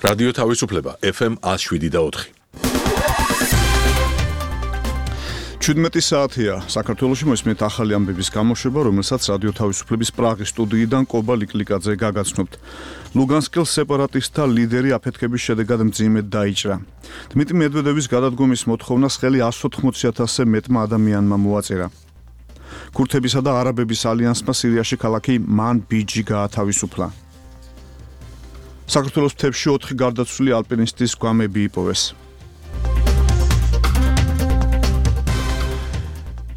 რადიო თავისუფლება FM 107.4. 17 საათია საქართველოში მოსმენთ ახალი ამბების გამოშვება, რომელსაც რადიო თავისუფლების პრაღის სტუდიიდან კობა ლიკლიკაძე გაგაცნობთ. ლუგანსკის სეპარატისტთა ლიდერი აფეთქების შედეგად მძიმედ დაიჭრა. დმიტრი მედვედევის გადადგომის მოთხოვნას ხელი 180,000-ზე მეტმა ადამიანმა მოაწერა. ქურთებისა და არაბების ალიანსმა სირიაში ქალაქი მან-ბიჯი გაათავისუფლა. საქართველოს მთებში 4 გარდაცვლილი ალპინისტის გვამები იპოვეს.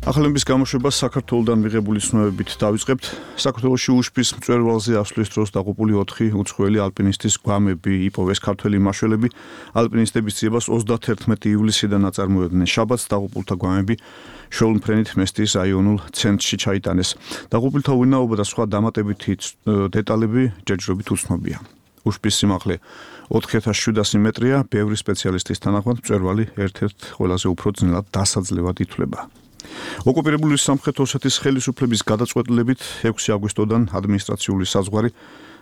ახალების გამოშვებას საქართველოსდან მიღებული ცნობებით დავიწყებთ. საქართველოში უშბის მწვერვალზე ასვლის დროს დაღუპული 4 უცხოელი ალპინისტის გვამები იპოვეს. ქართველი მაშველები ალპინისტების ძიებას 31 ივლისიდან აწარმოებდნენ. შაბათს დაღუპულთა გვამები შოულმფრენით მესტიის რაიონულ ცენტრში ჩაიტანეს. დაღუპულთა ვინაობა და სხვა დამატებითი დეტალები ჯერჯერობით უცნობია. უშბის სიმაღლე 4700 მეტრია, ბევრი სპეციალისტის თანახმად მწვერვალი ერთ-ერთ ყველაზე უფრო ძნელად დასაძლევად ითვლება. ოკუპირებული სამხრეთ ოსეთის ხელისუფლების გადაწყვეტილებით 6 აგვისტოდან ადმინისტრაციული საზღვარი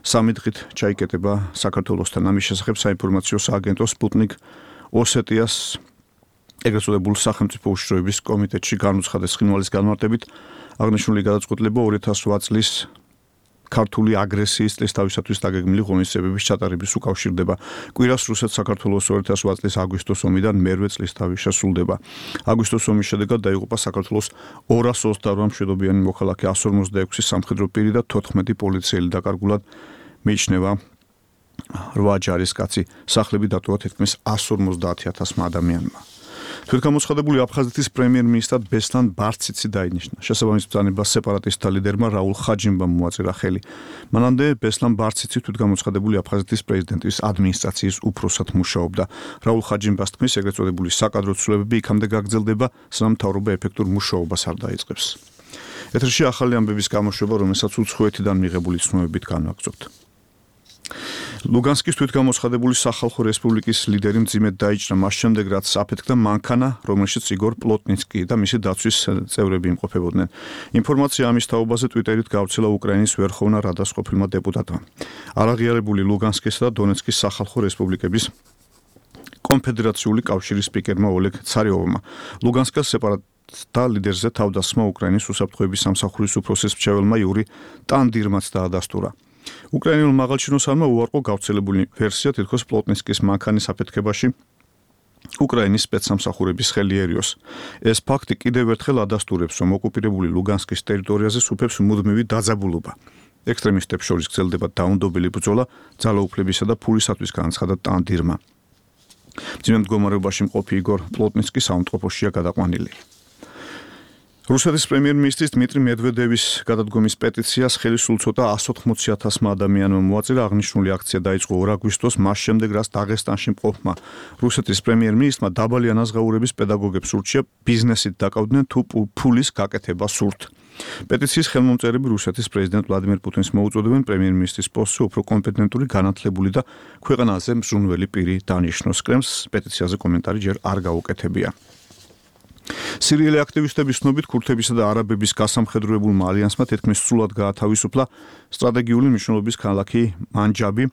3 დღით ჩაიკეტება საქართველოსთან. ამის შესახებ საინფორმაციო სააგენტო სპუტნიკ ოსეტიას ეგრეთ წოდებულ სახელმწიფო უშიშროების კომიტეტში განუცხადეს. ცხინვალის განმარტებით აღნიშნული გადაწყვეტილება 2008 წლის ქართული აგრესიის წლისთავისათვის დაგეგმილი ღონისძიებების ჩატარების უკავშირდება. კვირას რუსეთ-საქართველოს 2008 წლის აგვისტოს ომიდან მერვე წლისთავი შესრულდება. აგვისტოს ომის შედეგად დაიღუპა საქართველოს 228 მშვიდობიანი მოქალაქე, 156 სამხედრო პირი და 14 პოლიციელი. დაკარგულად მიიჩნევა 8 ჯარისკაცი. სახლები დატოვა თითქმის 150,000 ადამიანმა. თვითგამოცხადებული აფხაზეთის პრემიერ-მინისტრად ბესლან ბარციცი დაინიშნა. შესაბამის ბრძანებას სეპარატისტთა ლიდერმა რაულ ხაჯიმბამ მოაწერა ხელი. მანამდე ბესლან ბარციცი თვითგამოცხადებული აფხაზეთის პრეზიდენტის ადმინისტრაციის უფროსად მუშაობდა. რაულ ხაჯიმბას თქმის, ეგრეთ წოდებული საკადრო ცვლილებები იქამდე გაგრძელდება, სანამ მთავრობა ეფექტურ მუშაობას არ დაიწყებს. ეთერში ახალი ამბების გამოშვება, რომელსაც უცხოეთიდან მიღებული ცნობებით განვაგრძობთ. ლუგანსკის თვითგამოცხადებული სახალხო რესპუბლიკის ლიდერი მძიმედ დაიჭრა მას შემდეგ, რაც აფეთქდა მანქანა, რომელშიც იგორ პლოტნიცკი და მისი დაცვის წევრები იმყოფებოდნენ. ინფორმაცია ამის თაობაზე ტვიტერით გავრცელა უკრაინის ვერხოვნა რადას ყოფილმა დეპუტატმა. არაღიარებული ლუგანსკისა და დონეცკის სახალხო რესპუბლიკების კონფედერაციული კავშირის სპიკერმა ოლეგ ცარიოვმა ლუგანსკის სეპარატისტთა ლიდერზე თავდასხმა უკრაინის უსაფრთხოების სამსახურის უფროსის მრჩეველმა იური ტანდირმაც დაადასტურა. უკრაინულ მაღალჩინოსანმა უარყო გავრცელებული ვერსია, თითქოს პლოტნიცკის მანქანის აფეთქებაში უკრაინის სპეცსამსახურების ხელი ერიოს. ეს ფაქტი კიდევ ერთხელ ადასტურებს, რომ ოკუპირებული ლუგანსკის ტერიტორიაზე სუფევს მუდმივი დაძაბულობა. ექსტრემისტებს შორის გრძელდება დაუნდობელი ბრძოლა ძალაუფლებისა და ფულისათვის, განაცხადა ტანდირმა. მძიმე მდგომარეობაში მყოფი იგორ პლოტნიცკი საუნტყოფოშია გადაყვანილი. რუსეთის პრემიერ-მინისტრის დმიტრი მედვედევის გადადგომის პეტიციას ხელი სულ ცოტა 180,000 ადამიანმა მოაწერა. აღნიშნული აქცია დაიწყო 2 აგვისტოს, მას შემდეგ, რაც დაღესტანში მყოფმა რუსეთის პრემიერ-მინისტრმა დაბალი ანაზღაურების პედაგოგებს ურჩია ბიზნესით დაკავდნენ თუ ფულის გაკეთება სურთ. პეტიციის ხელმომწერები რუსეთის პრეზიდენტ ვლადიმერ პუტინს მოუწოდებენ პრემიერ-მინისტრის პოსტზე უფრო კომპეტენტური, განათლებული და ქვეყანაზე მზრუნველი პირი დანიშნოს. კრემლს პეტიციაზე კომენტარი ჯერ არ გაუკეთებია. სირიელი აქტივისტების ცნობით ქურთებისა და არაბების გასამხედროებულმა ალიანსმა თითქმის სრულად გაათავისუფლა სტრატეგიული მნიშვნელობის ქალაქი მანჯაბი,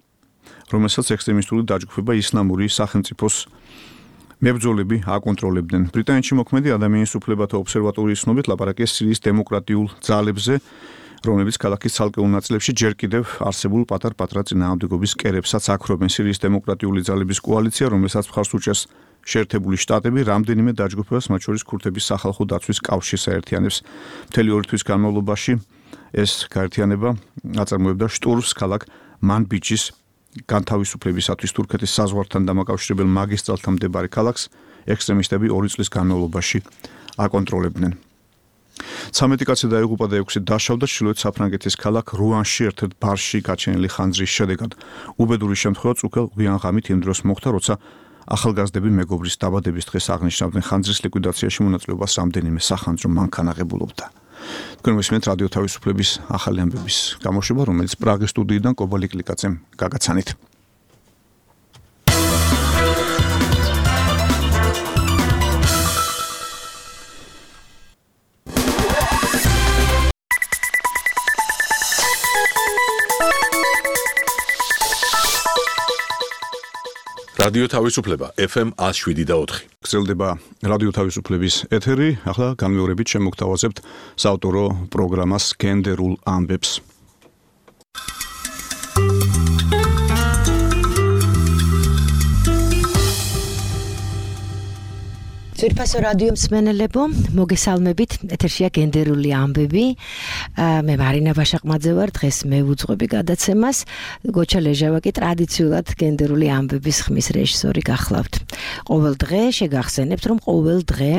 რომელსაც ექსტრემისტული დაჯგუფება ისლამური სახელმწიფოს მებრძოლები აკონტროლებდნენ. ბრიტანეთში მოქმედი ადამიანის უფლებათა ობსერვატორიის ცნობით ლაპარაკია სირიის დემოკრატიულ ძალებზე, რომლებიც ქალაქის ცალკეულ ნაწილებში ჯერ კიდევ არსებულ პატარ-პატარა წინააღმდეგობის კერებსაც აქრობენ. სირიის დემოკრატიული ძალების კოალიცია, რომელსაც მხარს უჭერს შეერთებული შტატები, რამდენიმე დაჯგუფებას, მათ შორის ქურთების სახალხო დაცვის კავშირს აერთიანებს. მთელი 2 თვის განმავლობაში ეს გაერთიანება აწარმოებდა შტურმს ქალაქ მანბიჯის განთავისუფლებისათვის. თურქეთის საზღვართან დამაკავშირებელ მაგისტრალთან მდებარე ქალაქს ექსტრემისტები 2 წლის განმავლობაში აკონტროლებდნენ. 13 კაცი დაიღუპა და 6 დაშავდა ჩრდილოეთ საფრანგეთის ქალაქ რუანში ერთ-ერთ ბარში გაჩენილი ხანძრის შედეგად. უბედური შემთხვევა წუქელ გვიან ღამით იმ დროს მოხდა, როცა ახალგაზრდები მეგობრის დაბადების დღეს აღნიშნავდნენ. ხანძრის ლიკვიდაციაში მონაწილეობას რამდენიმე სახანძრო მანქანა ღებულობდა. თქვენ მისმენთ რადიო თავისუფლების ახალი ამბების გამოშვება, რომელიც პრაღის სტუდიიდან კობა ლიკლიკაძემ გაგაცანით. რადიო თავისუფლება FM 107.4. გრძელდება რადიო თავისუფლების ეთერი. ახლა განმეორებით შემოგთავაზებთ საავტორო პროგრამას გენდერულ ამბებს. ძვირფასო რადიო მსმენელებო, მოგესალმებით. ეთერშია გენდერული ამბები. მე მარინა ბაშაყმაძე ვარ. დღეს მე ვუძღვები გადაცემას. გოჩა ლეჟავაკი ტრადიციულად გენდერული ამბების ხმის რეჟისორი გახლავთ. ყოველ დღე შეგახსენებთ, რომ ყოველ დღე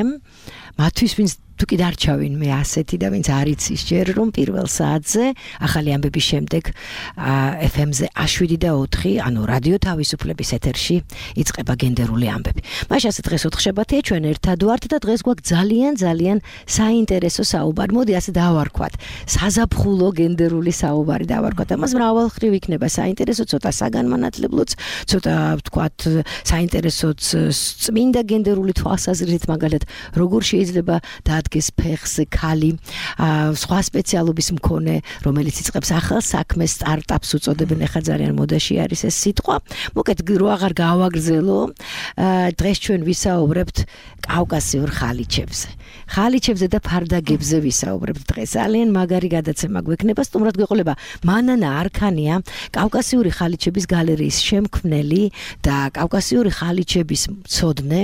მათთვის ვინც თუ კი დარჩავინ მე ასეთი და ვინც არ იცის ჯერ რომ პირველ საათზე ახალი ამბების შემდეგ FM-ზე 107.4 ანუ რადიო თავისუფლების ეთერში იწყება გენდერული ამბები. მაშასე დღეს 4 შაბათია, ჩვენ ერთად ვართ და დღეს გვაქვს ძალიან საინტერესო საუბარი. მოდი ასე დავარქვათ. საზაფხულო გენდერული საუბარი დავარქვათ. ამას მრავალხრივ იქნება საინტერესო, ცოტა საგანმანათლებლოც, ცოტა ვთქვათ საინტერესოც წმინდა გენდერული თვალსაზრისით, მაგალითად როგორ შეიძლება დგეს ფეხს ქალი სხვა სპეციალობის მქონე, რომელიც იწყებს ახალ საქმეს, სტარტაპს უწოდებენ, ახლა ძალიან მოდაში არის ეს სიტყვა. მოკეთ რო აღარ გავაგრძელო, დღეს ჩვენ ვისაუბრებთ კავკასიურ ხალიჩებზე. ხალიჩებზე და ფარდაგებზე ვისაუბრებთ დღეს. ძალიან მაგარი გადაცემა გვექნება, სტუმრად გვეყოლება მანანა არქანია, კავკასიური ხალიჩების გალერეის შემქმნელი და კავკასიური ხალიჩების მცოდნე.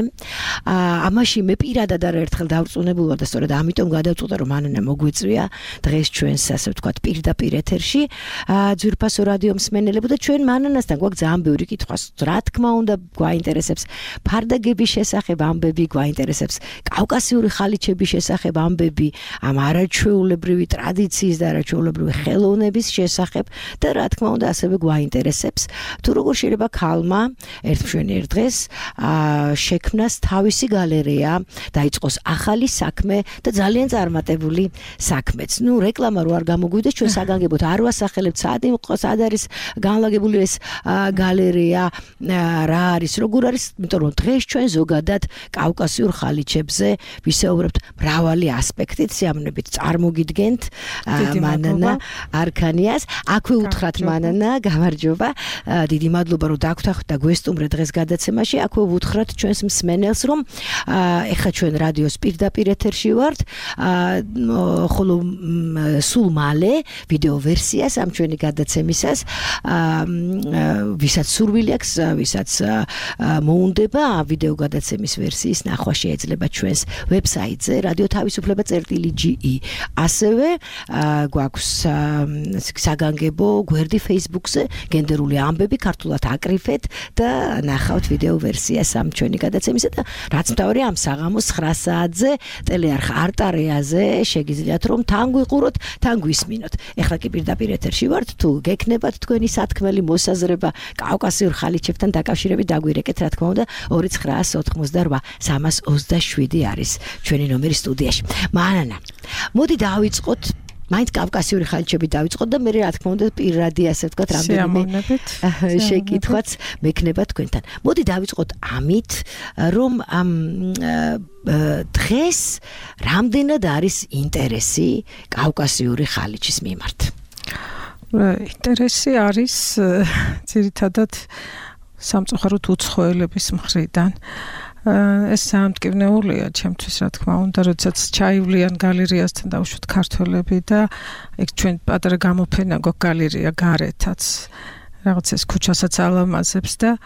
ამაში მე პირადად არაერთხელ დავწუნებული ვარ და სწორედ ამიტომ გადავწყვიტე რომ მანანა მოგვიწვია დღეს ჩვენს ასე ვთქვათ პირდაპირ ეთერში ძვირფასო რადიო მსმენელებო და ჩვენ მანანასთან გვაქვს ძალიან ბევრი კითხვა, რა თქმა უნდა გვაინტერესებს ფარდაგების შესახებ ამბები, გვაინტერესებს კავკასიური ხალიჩების შესახებ ამბები, ამ არაჩვეულებრივი ტრადიციის და არაჩვეულებრივი ხელოვნების შესახებ და რა თქმა უნდა ასევე გვაინტერესებს თუ როგორ შეიძლება ქალმა ერთმშვენიერ დღეს შექმნას თავისი გალერეა, დაიწყოს ახალი საქმე და ძალიან წარმატებული საქმეც. ნუ რეკლამა რო არ გამოგვიდეს, ჩვენ საგანგებოდ არ ვასახელებთ სად არის განლაგებული ეს გალერეა, რა არის, როგორ არის, იმიტომ რომ დღეს ჩვენ ზოგადად კავკასიურ ხალიჩებზე ვისაუბრებთ მრავალი ასპექტით, სიამოვნებით წარმოგიდგენთ მანანა არქანიას. აქვე უთხრათ მანანა, გამარჯობა. დიდი მადლობა რომ დაგვთანხმდით და გვესტუმრეთ დღეს გადაცემაში. აქვე უთხრათ ჩვენს მსმენელს რომ ეხლა ჩვენ რადიოს პირდაპირ ეთერში ვართ, ხოლო სულ მალე ვიდეო ვერსიას ამ ჩვენი გადაცემისას ვისაც სურვილი აქვს, ვისაც მოუნდება ვიდეო გადაცემის ვერსიის ნახვა შეიძლება ჩვენს ვებსაიტზე radiotavisufleba.ge. ასევე გვაქვს საგანგებო გვერდი Facebook-ზე გენდერული ამბები, ქართულად აკრიფეთ და ნახავთ ვიდეო ვერსიას ამ ჩვენი გადაცემისა და რაც მთავარია ამ საღამოს 9 საათზე ტელეარხ არტარეაზე შეგიძლიათ რომ თან გვიყუროთ, თან გვისმინოთ. ეხლა კი პირდაპირ ეთერში ვართ, თუ გექნებათ თქვენი სათქმელი მოსაზრება კავკასიურ ხალიჩებთან დაკავშირებით, დაგვირეკეთ რა თქმა უნდა 2988 არის ჩვენი ნომერი სტუდიაში. მანანა, მოდი დავიწყოთ მაინც კავკასიური ხალიჩები დავიწყოთ და მე რა თქმა უნდა პირადი ასე ვთქვათ რამდენიმე შეკითხვაც მექნება თქვენთან. მოდი დავიწყოთ ამით, რომ დღეს რამდენად არის ინტერესი კავკასიური ხალიჩის მიმართ? ინტერესი არის ძირითადად სამწუხაროდ უცხოელების მხრიდან. ეს სამტკივნეულია ჩემთვის, რა თქმა უნდა, როდესაც ჩაივლიან გალერეასთან დავუშვათ ქართველები და ეგ ჩვენ პატარა გამოფენა გვაქვს გალერეა გარეთაც, რაღაც ეს ქუჩასაც ალამაზებს და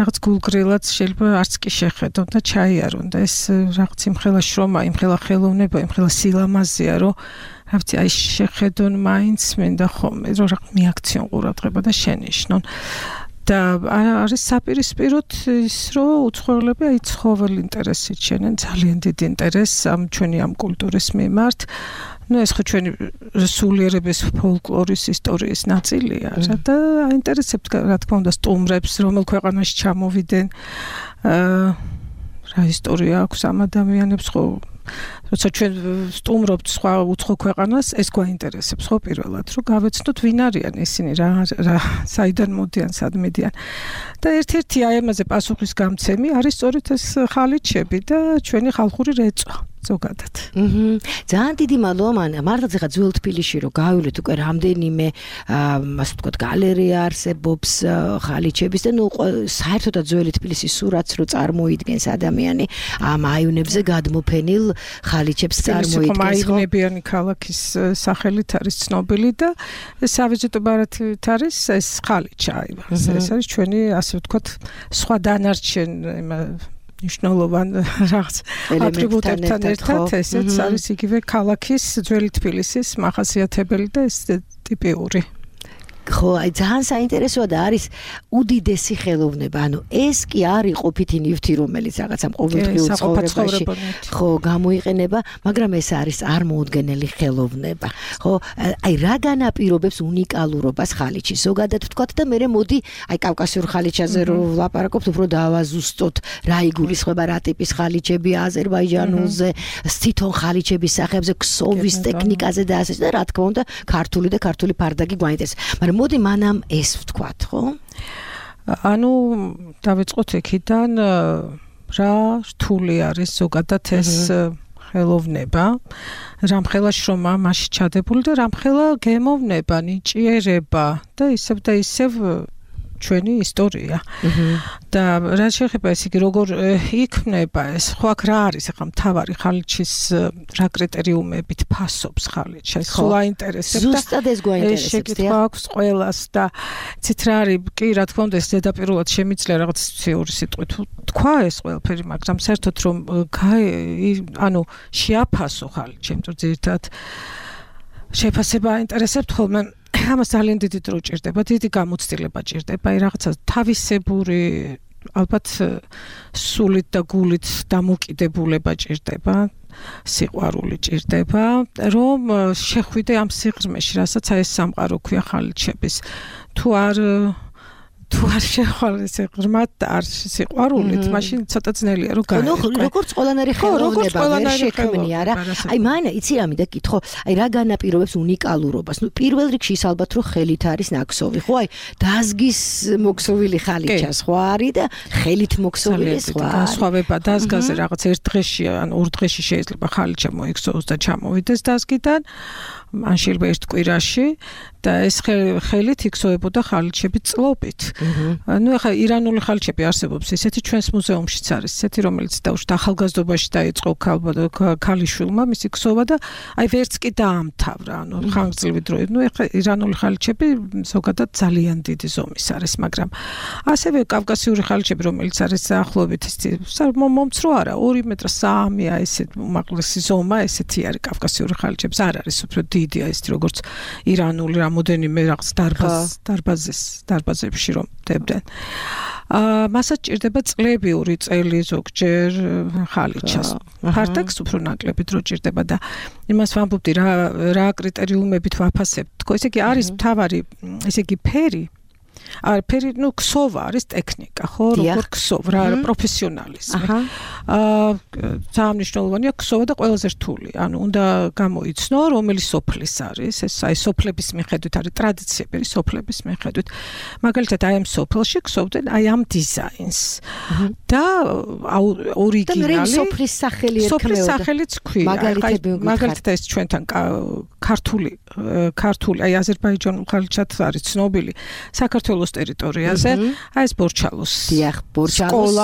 რაღაც გულგრილად შეიძლება არც კი შეხედონ და ჩაიარონ და ეს რაღაც იმხელა შრომა, იმხელა ხელოვნება, იმხელა სილამაზეა, რომ რა ვიცი, აი შეხედონ მაინც მინდა ხოლმე, რომ რაღაც მიაქციონ ყურადღება და შენიშნონ. და არის საპირისპიროდ ის, რომ უცხოელები აი ცხოველ ინტერესით შენენ, ძალიან დიდი ინტერესს ამ ჩვენი ამ კულტურის მიმართ. ნუ ეს ხო ჩვენი სულიერების ფოლკლორის ისტორიის ნაწილია და აინტერესებთ რა თქმა უნდა სტუმრებს, რომელ ქვეყანაში ჩამოვიდნენ, რა ისტორია აქვს ამ ადამიანებს, ხო როცა ჩვენ სტუმრობთ სხვა უცხო ქვეყანას, ეს გვაინტერესებს ხო პირველად, რომ გავეცნოთ ვინ არიან ისინი, რა საიდან მოდიან, სად მიდიან. და ერთ-ერთი აი ამაზე პასუხის გამცემი არის სწორედ ეს ხალიჩები და ჩვენი ხალხური რეწვა. ზოგადად. ძალიან დიდი მადლობა. მართლაც ახლა ძველ თბილისში რომ გავივლეთ უკვე რამდენიმე ასე ვთქვათ გალერეა არსებობს ხალიჩების და საერთოდაც ძველი თბილისის სურათს რო წარმოიდგენს ადამიანი ამ აივნებზე გადმოფენილ ხალიჩებს წარმოიდგენს. აივნებიანი ქალაქის სახელით არის ცნობილი და სავიზიტო ბარათით არის ეს ხალიჩა. ეს არის ჩვენი ასე ვთქვათ სხვა დანარჩენ ნიშნულოვან რაღაც ატრიბუტებთან ერთად ესეც არის იგივე ქალაქის ძველი თბილისის მახასიათებელი და ეს ტიპიური. ხო, აი ძალიან საინტერესოა და არის უდიდესი ხელოვნება. ანუ ეს კი არის ყოფითი ნივთი, რომელიც რაღაცა ყოველდღიურ ცხოვრებაში ხო გამოიყენება, მაგრამ ეს არის წარმოუდგენელი ხელოვნება. ხო, აი რა განაპირობებს უნიკალურობას ხალიჩის ზოგადად ვთქვათ და მე მოდი აი კავკასიურ ხალიჩაზე რო ვლაპარაკობთ, უფრო დავაზუსტოთ რა იგულისხმება, რა ტიპის ხალიჩები აზერბაიჯანულზე, თვითონ ხალიჩების სახეებზე, ქსოვის ტექნიკაზე და ასე და რა თქმა უნდა ქართული და ქართული ფარდაგი გვაინტერესებს. მოდი მანამ ეს ვთქვათ, ხო? ანუ დავიწყოთ იქიდან რა რთული არის ზოგადად ეს ხელოვნება, რამხელა შრომა მასში ჩადებული და რამხელა გემოვნება, ნიჭიერება და ისევ ჩვენი ისტორია. და რა შეიძლება ეს იგი როგორ იქმნება ეს ხო აქ რა არის ახლა მთავარი ხალიჩის რა კრიტერიუმებით ფასობს ხალიჩი ეს ხო აინტერესებს და ზუსტად ეს გვაინტერესებს ეს შეკითხვა აქვს ყველას და ცით რა არის კი რა თქმა უნდა ეს ზედაპირულად შემიძლია რაღაც ციური სიტყვით თქვა ეს ყველაფერი მაგრამ საერთოდ რომ ანუ შეაფასო ხალიჩი იმიტომ ძირითადად შეფასება აინტერესებს ხოლმე ამას ძალიან დიდი დრო ჭირდება, დიდი გამოცდილება ჭირდება, აი რაღაცა თავისებური ალბათ სულით და გულით დამოკიდებულება ჭირდება, სიყვარული ჭირდება, რომ შეხვიდე ამ სიღრმეში, რასაც აი ეს სამყარო ქვია ხალიჩების. თუ არ შეხვალ ეს ღრმად არ სიყვარულით, მაშინ ცოტა ძნელია რომ გაიგო. როგორც ყველანაირი ხელოვნება ვერ შექმნია რა. აი მაინა იცი რა მინდა კითხო, აი რა განაპირობებს უნიკალურობას? ნუ პირველ რიგში ის ალბათ რომ ხელით არის ნაქსოვი, ხო? აი დაზგის მოქსოვილი ხალიჩა სხვა არის და ხელით მოქსოვილი სხვა. განსხვავება დაზგაზე რაღაც ერთ დღეში ან ორ დღეში შეიძლება ხალიჩა მოიქსოვოს და ჩამოვიდეს დაზგიდან. ან შეიძლება ერთ კვირაში და ეს ხელით იქსოვებოდა ხალიჩები წლობით. ნუ ახლა ირანული ხალიჩები არსებობს, ესეთი ჩვენს მუზეუმშიც არის, ესეთი რომელიც დაუშვათ ახალგაზრდობაში დაიწყო ქალიშვილმა მისი ქსოვა და აი ვერც კი დაამთავრა, ანუ ხანგრძლივი დროით. ნუ ახლა ირანული ხალიჩები ზოგადად ძალიან დიდი ზომის არის, მაგრამ ასევე კავკასიური ხალიჩები, რომელიც არის ახლობით მომცრო არა, 2 მეტრ 3-ია ესეთ უმაღლესი ზომა, ესეთი არის კავკასიური ხალიჩების, არ არის უფრო დიდია ეს როგორც ირანული რამოდენიმე რაღაც დარბაზებში რომ დებდნენ. მასაც ჭირდება წლებიური წელი ზოგჯერ ხალიჩას. ფარდაკს უფრო ნაკლები დრო ჭირდება და იმას ვამბობდი რა კრიტერიუმებით ვაფასებთ. თქო, ესე იგი არის მთავარი, ესე იგი ფერი ფერი, ნუ ქსოვა არის ტექნიკა, ხო, როგორ ქსოვ, რა პროფესიონალიზმი. ძალიან მნიშვნელოვანია ქსოვა და ყველაზე რთული. ანუ უნდა გამოიცნო, რომელი სოფლის არის, ეს აი სოფლების მიხედვით არის ტრადიციები, სოფლების მიხედვით. მაგალითად, აი ამ სოფელში ქსოვდნენ აი ამ დიზაინს. და ორიგინალი სოფლის სახელი ერქმეოდა. სოფლის სახელიც ქვია. მაგალითად ეს ჩვენთან ქართული აი აზერბაიჯანულ ხალიჩად არის ცნობილი საქართველოს ტერიტორიაზე, აი ეს ბორჩალოს. დიახ, ბორჩალოს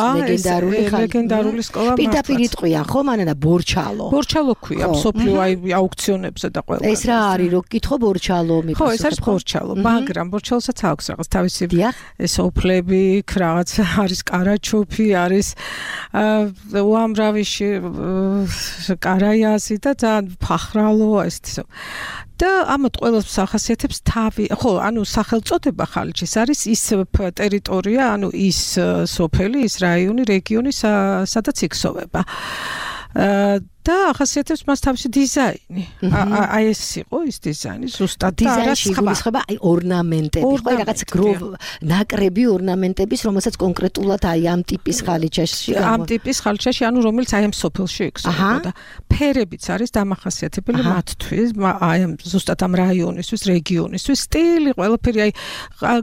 ლეგენდარული სკოლა. პირდაპირ იტყვიან ხო მანადა ბორჩალო. ბორჩალო ქვია, მსოფლიო აი აუქციონებზე და ყველა. ეს რა არის, რო გკითხო ბორჩალო მიპასუხებ. ხო, ეს არის ბორჩალო, მაგრამ ბორჩალოსაც აქვს რაღაც თავისი ეს ოფლები, რაღაც არის კარაჩოფი, არის უამრავი კარაიაზი და ძალიან ფახრალო ესეთი. და ამათ ყველას ახასიათებს თავი, ხო, ანუ სახელწოდება ხალიჩის არის ის ტერიტორია, ანუ ის სოფელი, ის რაიონი, რეგიონი, სადაც იქსოვება. და ახასიათებს მას თავისი დიზაინი. აი ეს იყო ის დიზაინი, ზუსტად დიზაინში იგულისხმება აი ორნამენტები, ხო, რაღაც ნაკრები ორნამენტების, რომელსაც კონკრეტულად აი ამ ტიპის ხალიჩაში ამ ტიპის ხალიჩაში, ანუ რომელიც აი ამ სოფელში იგზნებოდა. ფერებიც არის დამახასიათებელი მათთვის, აი ამ ზუსტად ამ რაიონისთვის, რეგიონისთვის, სტილი, ყველაფერი აი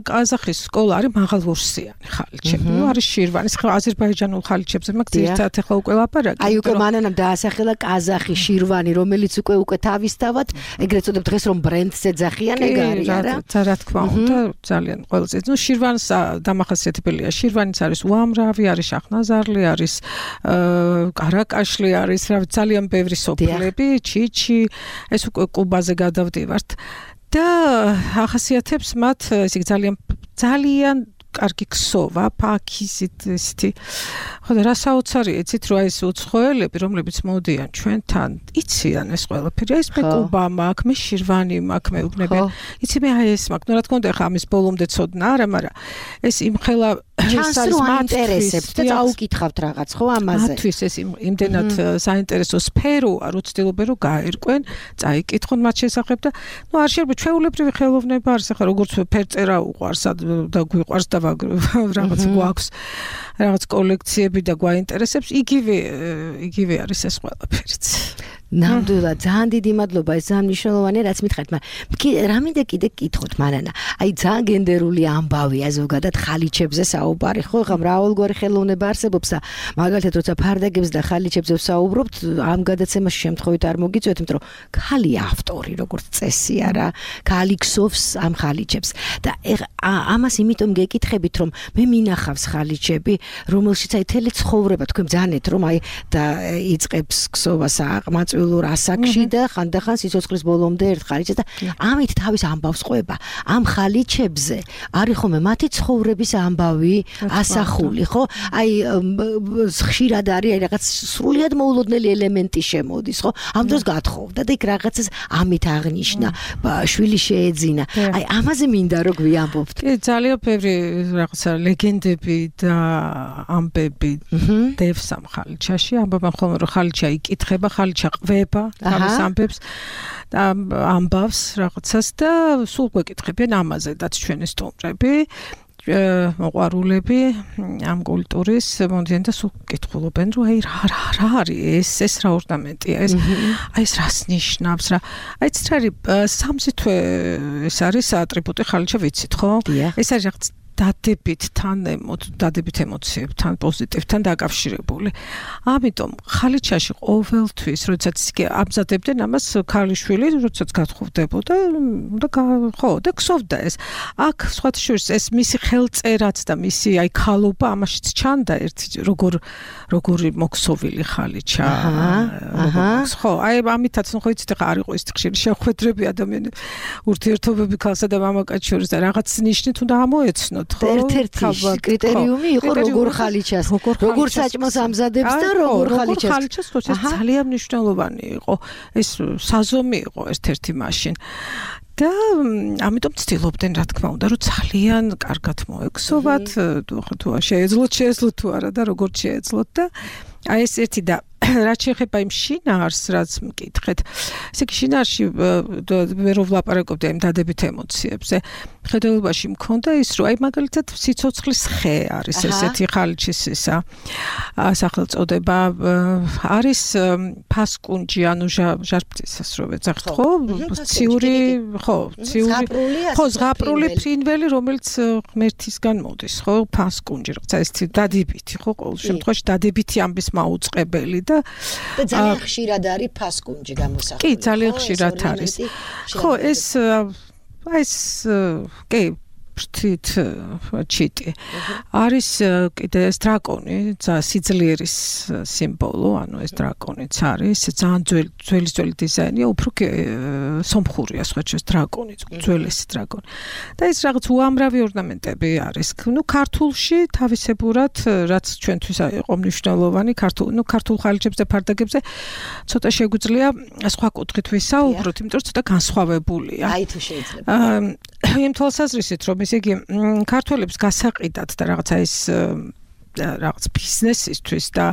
ყაზახის სკოლა არის მაღალვორსიანი ხალიჩები. ნუ არის შირვანის, აზერბაიჯანულ ხალიჩებზე მაგ ძირითადად ახლა უკვე ლაპარაკი. აი უკვე მანანამ დაასახელა ყაზახი, შირვანი, რომელიც უკვე თავისთავად ეგრეთ წოდებ დღეს რომ ბრენდს ეძახიან, ეგ არის არა? რა თქმა უნდა, ძალიან ყველაზე. ნუ შირვანს დამახასიათებელია. შირვანიც არის უამრავი, არის შაჰნაზარლი, არის კარაკაშლი, არის ძალიან ბევრი სოფლები, ჩიჩი, ეს უკვე კუბაზე გადავდივართ. და ახასიათებს მათ ესე ძალიან კარგი ქსოვა, ფაქიზით ისეთი. ხო და რა საოცარია, იცით რა ეს უცხოელები, რომლებიც მოდიან ჩვენთან, იციან ეს ყველაფერი. ეს მე კუბა მაქვს, მე შირვანი მაქვს, მე უგნებიან. იცი მე აი ეს მაქვს. ნუ რა თქმა უნდა, ხა ამის ბოლომდე ცოდნა არა, მაგრამ ეს იმხელა ჩანს რომ აინტერესებთ და წაუკითხავთ რაღაც, ხო, ამაზე. მათთვის ეს იმდენად საინტერესო სფეროა, რო ცდილობენ რომ გაერკვენ, წაიკითხონ მათ შესახებ და ნუ არ შეიძლება ჩვეულებრივი ხელოვნება არის, ახლა როგორც ფერწერა უყვარს და გვიყვარს და რაღაც გვაქვს რაღაც კოლექციები და გვაინტერესებს, იგივე არის ეს ყველაფერიც. ნამდვილად ძალიან დიდი მადლობა, ეს ძალიან მნიშვნელოვანია, რაც მითხარით, მაგრამ რამინდა კიდე გკითხოთ მანანა. აი ძალიან გენდერული ამბავია ზოგადად ხალიჩებზე საუბარი, ხო, ხა მრავალგვარი ხელოვნება არსებობს და მაგალითად როცა ფარდაგებს და ხალიჩებზე ვსაუბრობთ, ამ გადაცემაში შემთხვევით არ მოგიწვიეთ, იმიტომ რომ ქალია ავტორი, როგორც წესი არა, ქალი ქსოვს ამ ხალიჩებს და ამას იმიტომ გეკითხებით, რომ მე მინახავს ხალიჩები, რომელშიც აი თელი ცხოვრება, თქვენ ბძანეთ, რომ აი და იწყებს ქსოვას აყმაწვილურ ასაკში და ხანდახან სიცოცხლის ბოლომდე ერთ ხალიჩებს და ამით თავის ამბავს ყვება. ამ ხალიჩებზე არის ხოლმე მათი ცხოვრების ამბავი ასახული, ხო? აი ხშირად არის აი რაღაც სრულიად მოულოდნელი ელემენტი შემოდის, ხო? ამ დროს გათხოვდა და იქ რაღაცას ამით აღნიშნა, შვილი შეეძინა. აი ამაზე მინდა რომ გვიამბობთ. კი, ძალიან ბევრი რაღაცა ლეგენდები და ამბები დევს ამ ხალიჩაში. ამბობენ ხოლმე რომ ხალიჩა იკითხება, ხალიჩა ყვება თავის ამბებს და ამბავს რაღაცას და სულ გვეკითხებიან ამაზედაც ჩვენი სტუმრები. მოყვარულები ამ კულტურის მომდიან და სულ კითხულობენ რომ აი რა არის ეს რა ორნამენტია ეს აი ეს რას ნიშნავს რა აი ეს რა არის სამზითვე ეს არის ატრიბუტი ხალიჩა ვიცით ხო ეს არის რაღაც დადებით ემოციებთან პოზიტივთან დაკავშირებული. ამიტომ ხალიჩაში ყოველთვის როდესაც ამზადებდნენ ამას ქალიშვილი როდესაც გათხოვდებოდა და ქსოვდა ეს. აქ სხვათა შორის ეს მისი ხელწერაც და მისი აი ქალობა ამაშიც ჩანდა ერთი როგორი მოქსოვილი ხალიჩა. ხო, აი ამითაც ხო იცით ხა არ იყო ის ხშირი შეხვედრები ადამიანი ურთიერთობები ქალსა და მამაკაცის შორის და რაღაც ნიშნით უნდა ამოეცნო. ერთ-ერთი კრიტერიუმი იყო როგორ ხალიჩას, როგორ საჭმელს ამზადებს და როგორ ხალიჩას. ეს ძალიან მნიშვნელოვანი იყო. ეს საზომი იყო ერთ-ერთი მაშინ. და ამიტომ ცდილობდნენ რა თქმა უნდა რომ ძალიან კარგად მოექსოვათ, თუ შეეძლოთ თუ არა და როგორ შეეძლოთ და აი ეს ერთი და რაც შეეხება იმ შინაარს, რაც მკითხეთ. ესე იგი შინაარში ვერ ვლაპარაკობდი ამ დადებით ემოციებზე. ხედელობაში მქონდა ის, რომ აი მაგალითად სიცოცხლის ხე არის ესეთი ხალიჩის ისა სახელწოდება. არის ფასკუნჯი, ანუ ჟარბწისას რო ვეძახთ, ხო? ციური, ხო, ზღაპრული ფრინველი, რომელიც ღმერთისგან მოდის, ხო? ფასკუნჯი, რაღაცა ეს დადებითი, ხო? ყოველ შემთხვევაში დადებითი ამბის მაუწყებელი და ძალიან ხშირად არის ფასკუნჯი გამოსახული. კი, ძალიან ხშირად არის. ხო, კი, ფრთით ჩიტი. არის კიდე ეს დრაკონი, სიძლიერის სიმბოლო, ანუ ეს დრაკონიც არის, ძალიან ძველი დიზაინია, უფრო სომხურია სხვაჩეს დრაკონი, ძველესი დრაკონი. და ეს რაღაც უამრავი ორნამენტები არის. ნუ ქართულში თავისებურად, რაც ჩვენთვის იყო მნიშვნელოვანი, ქართულ ხალიჩებზე და ფარდაგებზე ცოტა შეგვიძლია სხვა კუთხით ვისაუბროთ, იმიტომ რომ ცოტა განსხვავებულია. აი თუ შეიძლება. იმ თვალსაზრისით, რომ ესე იგი ქართველებს გასაყიდად და რაღაცა ეს რაღაც ბიზნესისთვის და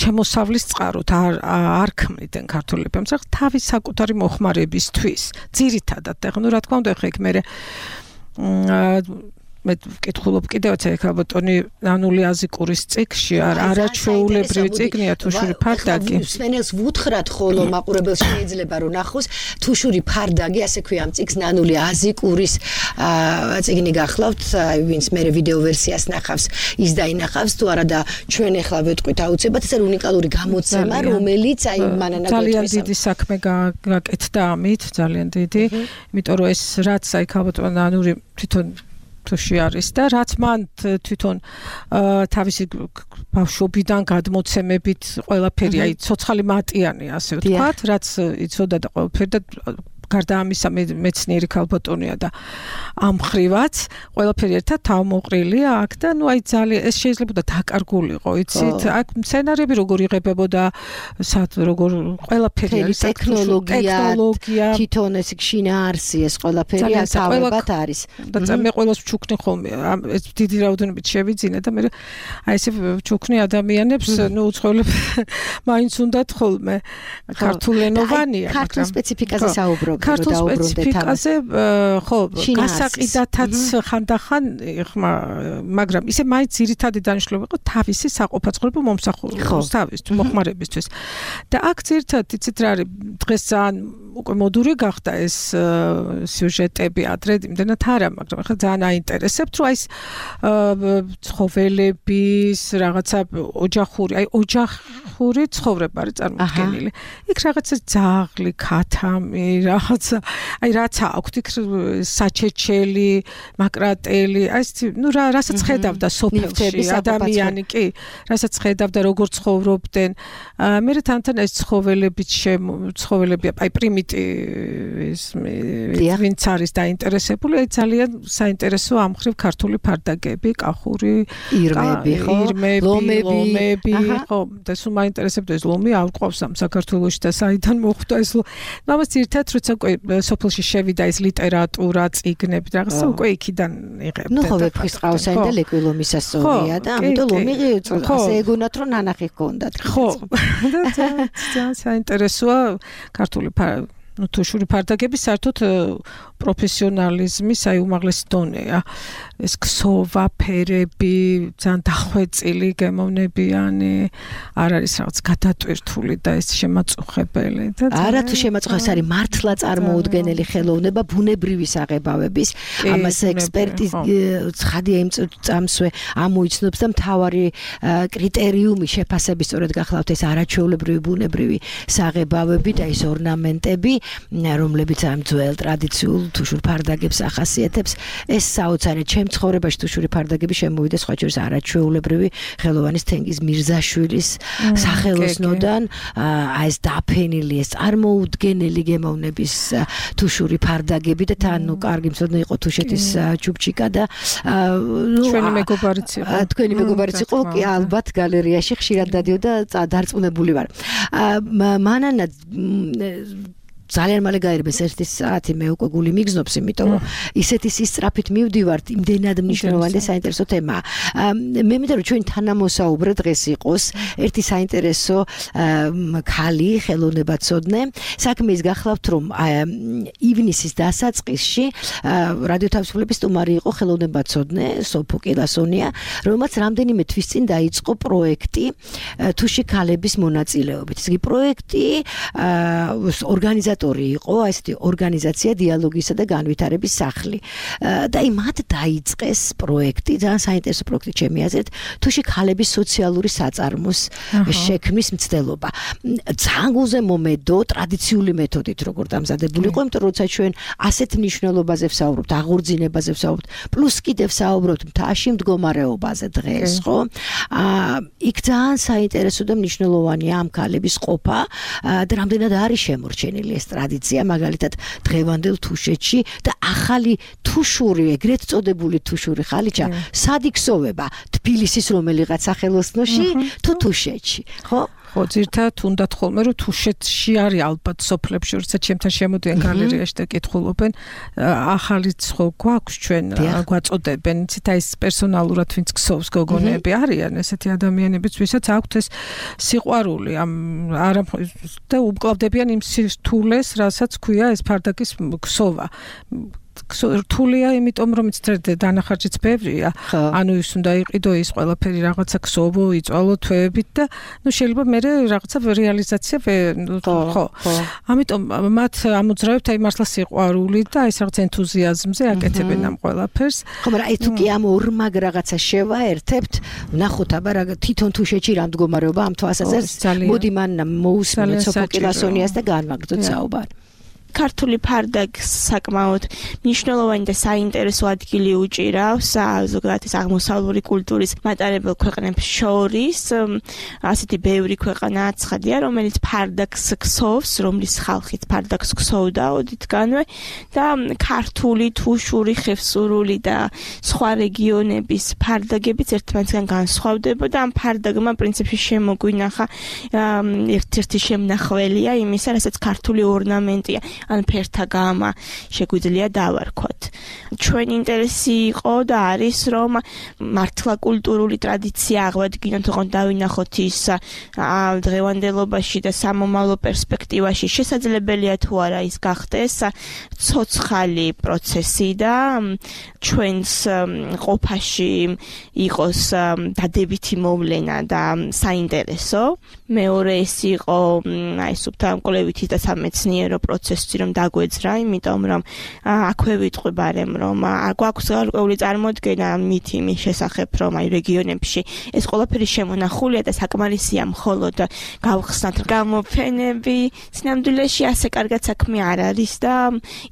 შემოსავლის წყაროთ არ ქმნიდნენ ქართველები. ამიტომ თავის საკუთარი მოხმარებისთვის ძირითადად ეხლა რა თქმა უნდა ეხლა იქ მე ვკითხულობ კიდევაც ეხლა ბატონი ნანული აზიკურის წიგნში არაჩვეულებრივი წიგნია თუშური ფარდაგი. მსმენელს ვუთხრათ ხოლო მაყურებელს შეიძლება რომ ნახოს თუშური ფარდაგი, ასე ქვია ამ წიგნს ნანული აზიკურის წიგნი გახლავთ, ვინც მე ვიდეო ვერსიას ნახავს, ის დაინახავს თუ არა და ჩვენ ეხლა ვეთქვით აუცილებლად ეს არის უნიკალური გამოცემა, რომელიც აი მანანა ძალიან დიდი საქმე გაკეთდა ამით, ძალიან დიდი, იმიტომ რომ ეს რაც აი ქალბატონ ნანური თვითონ თუში არის და რაც მან თვითონ თავისი ბავშვობიდან გადმოცემებით ყველაფერი აი ცოცხალი მატიანე ასე ვთქვათ, რაც იცოდა და ყველაფერი და გარდა ამისა მეცნიერი ქალბატონია და ამ ხრივაც ყველაფერი ერთად თავმოყრილია აქ და ნუ აი ძალიან ეს შეიძლება დაკარგულიყო, იცით? აქ სცენარები როგორ იღებებოდა, როგორ ყველაფერი არის ტექნოლოგია, თვითონ ეს შინაარსი ეს ყველაფერი ასავებად არის. და მე ყველას ვჩუქნი ხოლმე, ეს დიდი რაოდენობით შევიძინე და მე აი ესე ვჩუქნი ადამიანებს, ნუ უცხოელებს მაინც უნდათ ხოლმე ქართულენოვანია, მაგრამ ქართულ სპეციფიკაზე საუბრობ. ქართულ სპეციფიკაზე ხო გასაყიდათაც ხანდახან მაგრამ ისე მაინც ძირითადი დანიშნულება იყო თავისი საყოფაცხოვრებო მომსახურების თავისთვის მოხმარებისთვის და აქ ძირითადად იცით რა არის დღეს ძალიან უკვე მოდური გახდა ეს სიუჟეტები ადრე იმდენად არა მაგრამ ახლა ძალიან აინტერესებთ რომ აი ეს ცხოველების რაღაცა ოჯახური ცხოვრება არის წარმოქმნილი იქ რაღაცა ძაღლი ქათამი რაღაცა აი რაც აქვთ იქ საჩეჩელი მაკრატელი აი ეს ნუ რასაც ხედავდა სოფელში ადამიანი კი რასაც ხედავდა როგორ ცხოვრობდნენ მე თან ეს ცხოველები აი პრიმიტივის ვინც არის დაინტერესებული აი ძალიან საინტერესო ამ ხრივ ქართული ფარდაგები კახური ირმები ლომები ხო და სულ მაინტერესებდა ეს ლომი არ ყავს ამ საქართველოში და საიდან მოხვდა ეს ამას ერთად როცა უკვე სოფელში შევიდა ეს ლიტერატურა წიგნები რაღაცა უკვე იქიდან იღებდა ნუ ხო ვეფხის ყავსანი და ლეკვილომის ასწორია და ამიტომ ლომი ასე ეგონათ რომ ნანახი ჰქონდათ ხო ძალიან საინტერესოა ქართული ну თუშური ფარდაგები საერთოდ პროფესიონალიზმის აი უმაღლესი დონეა ეს ქსოვა ფერები ძალიან დახვეწილი გემოვნებიანი არ არის რაღაც გადატვირთული და ეს შემაწუხებელი და არა თუ შემაწუხებს არის მართლა წარმოუდგენელი ხელოვნება ბუნებრივი საღებავების ამას ექსპერტი ცხადია იმ წამსვე ამოიცნობს და მთავარი კრიტერიუმი შეფასების სწორედ გახლავთ ეს არაჩვეულებრივი ბუნებრივი საღებავები და ეს ორნამენტები რომლებიც ამ ძველ ტრადიციულ თუშურ ფარდაგებს ახასიათებს ეს საოცარი ჩემ ცხოვრებაში თუშური ფარდაგები შემოვიდა სხვა შორის არაჩვეულებრივი ხელოვანის თენგიზ მირზაშვილის სახელოსნოდან აი ეს დაფენილი ეს წარმოუდგენელი გემოვნების თუშური ფარდაგები და თან ნუ კარგი მცოდნე იყო თუშეთის ჩუბჩიკა და ჩვენი მეგობარიც იყო თქვენი მეგობარიც იყო კი ალბათ გალერეაში ხშირად დადიოდა დარწმუნებული ვარ მანანა ძალიან მალე გაერბეს 1 საათი მე უკვე გული მიგზნობს იმიტომ რომ ისეთი სისწრაფით მივდივართ იმდენად მნიშვნელოვანი და საინტერესო თემაა მე მინდა რომ ჩვენი თანამოსაუბრე დღეს იყოს ერთი საინტერესო ქალი ხელოვნებაცოდნე საქმე ის გახლავთ რომ ივნისის დასაწყისში რადიო თავისუფლების სტუმარი იყო ხელოვნებაცოდნე სოფო კილასონია რომელმაც რამდენიმე თვის წინ დაიწყო პროექტი თუში ქალების მონაწილეობით ეს პროექტი ორგანიზატორი იყო ესეთი ორგანიზაცია დიალოგისა და განვითარების სახლი და მათ დაიწყეს პროექტი ძალიან საინტერესო პროექტი ჩემი აზრით თუში ქალების სოციალური საწარმოს შექმნის მცდელობა ძალიან გულზემომედო ტრადიციული მეთოდით როგორ დამზადებული იყო იმიტომ რომ როცა ჩვენ ასეთ მნიშვნელობაზე ვსაუბრობთ აღორძინებაზე ვსაუბრობთ პლუს კიდევ ვსაუბრობთ მთაში მდგომარეობაზე დღეს ხო იქ ძალიან საინტერესო და მნიშვნელოვანია ამ ქალების ყოფა და რამდენად არის შემორჩენილი ეს ტრადიცია მაგალითად დღევანდელ თუშეთში და ახალი თუშური ეგრეთ წოდებული თუშური ხალიჩა სად იქსოვება თბილისის რომელიღაც სახელოსნოში თუ თუშეთში ხო ხო, ძირთად უნდათ ხოლმე რომ თუშეთში არის ალბათ სოფლებში, როცა ჩემთან შემოდიან გალერეაში და კითხულობენ, ახალიც ხო გვაქვს ჩვენ გვაწოდებენ, იცით აი ეს პერსონალურად ვინც ქსოვს გოგონები არიან ესეთი ადამიანებიც, ვისაც აქვთ ეს სიყვარული ამ არა და უმკლავდებიან იმ სირთულეს, რასაც ქვია ეს ფარდაკის ქსოვა. რთულია, იმიტომ რომ იცით დანახარჯიც ბევრია. ანუ ის უნდა იყიდო ის ყველაფერი რაღაცა ქსოვო, იწვალო თვეებით და შეიძლება მე რაღაცა რეალიზაცია ხო. ამიტომ მათ ამოძრავებთ აი მართლა სიყვარული და აი რაღაც ენთუზიაზმზე აკეთებენ ამ ყველაფერს. ხო, მაგრამ აი თუ კი ამ ორმაგ რაღაცა შევაერთებთ, ვნახოთ აბა თვითონ თუშეთში რა მდგომარეობა ამ თვალსაზრისით. მოდი მან მოусმინოთ სოფოკილასონიას და განვაგრძოთ საუბარი. ქართული ფარდაკს საკმაოდ მნიშვნელოვანი და საინტერესო ადგილი უჭირავს ზოგადად ეს აღმოსავლური კულტურის მატარებელ ქვეყნებს შორის. ასეთი ბევრი ქვეყანა აცხადია, რომელიც ფარდაკს ქსოვს, რომლის ხალხით ფარდაკს ქსოვდა ოდითგანვე და ქართული, თუშური, ხევსურული და სხვა რეგიონების ფარდაგებიც ერთმანეთისგან განსხვავდებოდა. ამ ფარდაგმა პრინციპში შემოგვინახა ერთ-ერთი შემნახველია იმისა, რასაც ქართული ორნამენტია. ან ფერთა გამა შეგვიძლია დავარქვათ. ჩვენ ინტერესი იყო და არის რომ მართლა კულტურული ტრადიცია აღვადგინოთ, ოღონდ დავინახოთ ის დღევანდელობაში და სამომავლო პერსპექტივაში შესაძლებელია თუ არა ის გახდეს ცოცხალი პროცესი და ჩვენს ყოფაში იყოს დადებითი მოვლენა და საინტერესო. მეორე ეს იყო აი სუფთამკვლევითი და სამეცნიერო პროცესი რომ დაგვეძრა, იმიტომ რომ აქვე ვიტყვებარემ რომ გვაქვს გარკვეული წარმოდგენა მითი იმის შესახებ, რომ აი რეგიონებში ეს ყველაფერი შემონახულია და საკმარისია მხოლოდ გავხსნათ გამოფენები. სინამდვილეში ასე კარგად საქმე არ არის და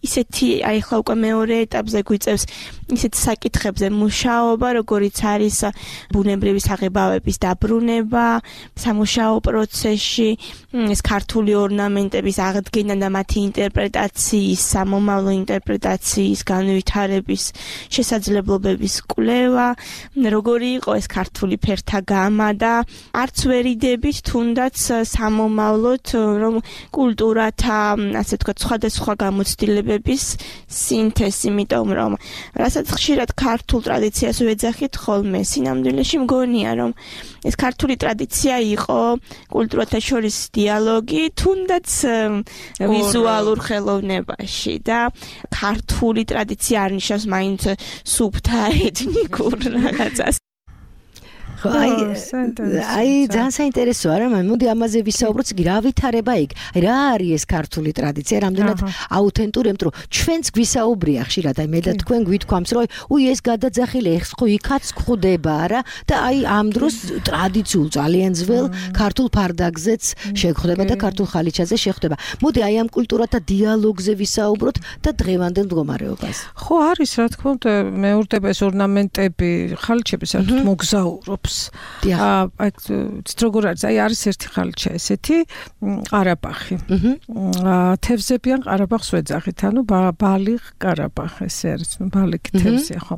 ისეთი აი ხლა უკვე მეორე ეტაპზე გვიწევს ისეთ საკითხებზე მუშაობა, როგორიც არის ბუნებრივი საღებავების დაბრუნება სამუშაო პროცესში, ეს ქართული ორნამენტების აღდგენა და მათი ინტერპრეტაციის, სამომავლო ინტერპრეტაციის განვითარების შესაძლებლობების კვლევა, როგორი იყო ეს ქართული ფერთა გამა და არც ვერიდებით თუნდაც სამომავლოდ რომ კულტურათა, ასე ვთქვათ, სხვადასხვა გამოცდილებების სინთეზი, იმიტომ რომ რასაც ხშირად ქართულ ტრადიციას ვეძახით ხოლმე, სინამდვილეში მგონია რომ ეს ქართული ტრადიცია იყო კულტურათა შორის დიალოგი, თუნდაც ვიზუალურ ხელოვნებაში და ქართული ტრადიცია არ ნიშნავს მაინც სუფთა ეთნიკურ რაღაცას. აი ძალიან საინტერესოა რა, მოდი ამაზე ვისაუბროთ, რა ვითარება იქ. აი რა არის ეს ქართული ტრადიცია, რამდენად აუთენტური, იმიტომ რომ ჩვენც გვისაუბრია ხშირად, აი მე და თქვენ გვითქვამს, რომ უი ეს გადაძახილი ეხს ხო იქაც გვხვდება რა და აი ამ დროს ტრადიციულ ძალიან ძველ ქართულ ფარდაგზეც შეხვდება და ქართულ ხალიჩაზე შეხვდება. მოდი აი ამ კულტურათა დიალოგზე ვისაუბროთ და დღევანდელ მდგომარეობას. ხო არის, რა თქმა უნდა, მეორდება ეს ორნამენტები, ხალიჩები საერთოდ მოგზაურობს. აი როგორ არის, აი არის ერთი ხალიჩა ესეთი ყარაბაღი. თევზებიან ყარაბაღს ვეძახით, ანუ ბალიხ ყარაბაღ ესე არის, ნუ ბალიქი თევზია, ხო.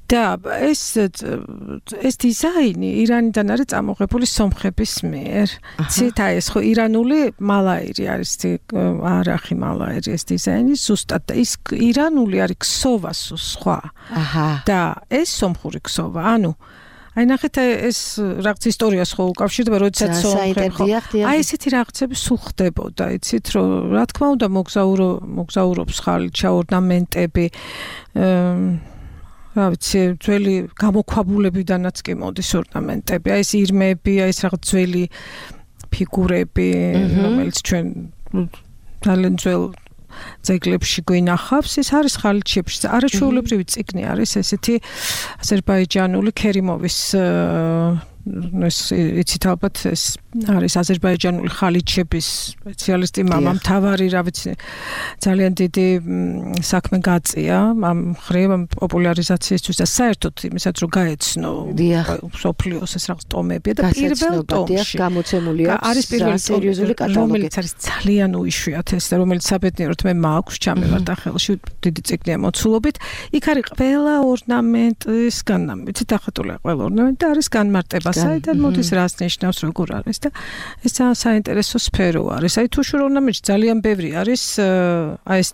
და ეს დიზაინი ირანიდან არის წამოღებული სომხების მიერ. ცით აი ეს ხო ირანული მალაირი არის, არახი მალაირი ეს დიზაინი ზუსტად და ის ირანული არის ქსოვა სხვა. და ეს სომხური ქსოვა, ანუ აი ნახეთ ეს რაღაც ისტორიას ხო უკავშირდება, როდესაც სომხები აი ესეთი რაღაცები სულ ხდებოდა, იცით რომ რა თქმა უნდა მოგზაურობს ხალიჩა ორნამენტები, რა ვიცი, ძველი გამოქვაბულებიდანაც კი მოდის ორნამენტები, აი ეს ირმები, აი ეს რაღაც ძველი ფიგურები, რომელიც ჩვენ ძალიან ძველ ძეგლებში გვინახავს, ეს არის ხალიჩებში. არაჩვეულებრივი წიგნი არის ესეთი აზერბაიჯანული ქერიმოვის ეს იცით ალბათ ეს არის აზერბაიჯანული ხალიჩების სპეციალისტი მამა მთავარი, რა ვიცი, ძალიან დიდი საქმე გაწია ამ მხრივ პოპულარიზაციისთვის და საერთოდ იმისაც რომ გაეცნო სოფლიოს ეს რაღაც ტომები და პირველ ტომში გამოცემულია არის პირველი სერიოზული კატალოგი, რომელიც არის ძალიან უიშვიათესი და რომელიც საბედნიეროდ მე მაქვს ჩამევარდა ხელში, დიდი წიგნია მოცულობით. იქ არის ყველა ორნამენტის იცით ახატულია ყველა ორნამენტი და არის განმარტება საიდან მოდის, რას ნიშნავს, როგორ არის და ეს ძალიან საინტერესო სფერო არის. აი თუ შრომნამეში ძალიან ბევრი არის აი ეს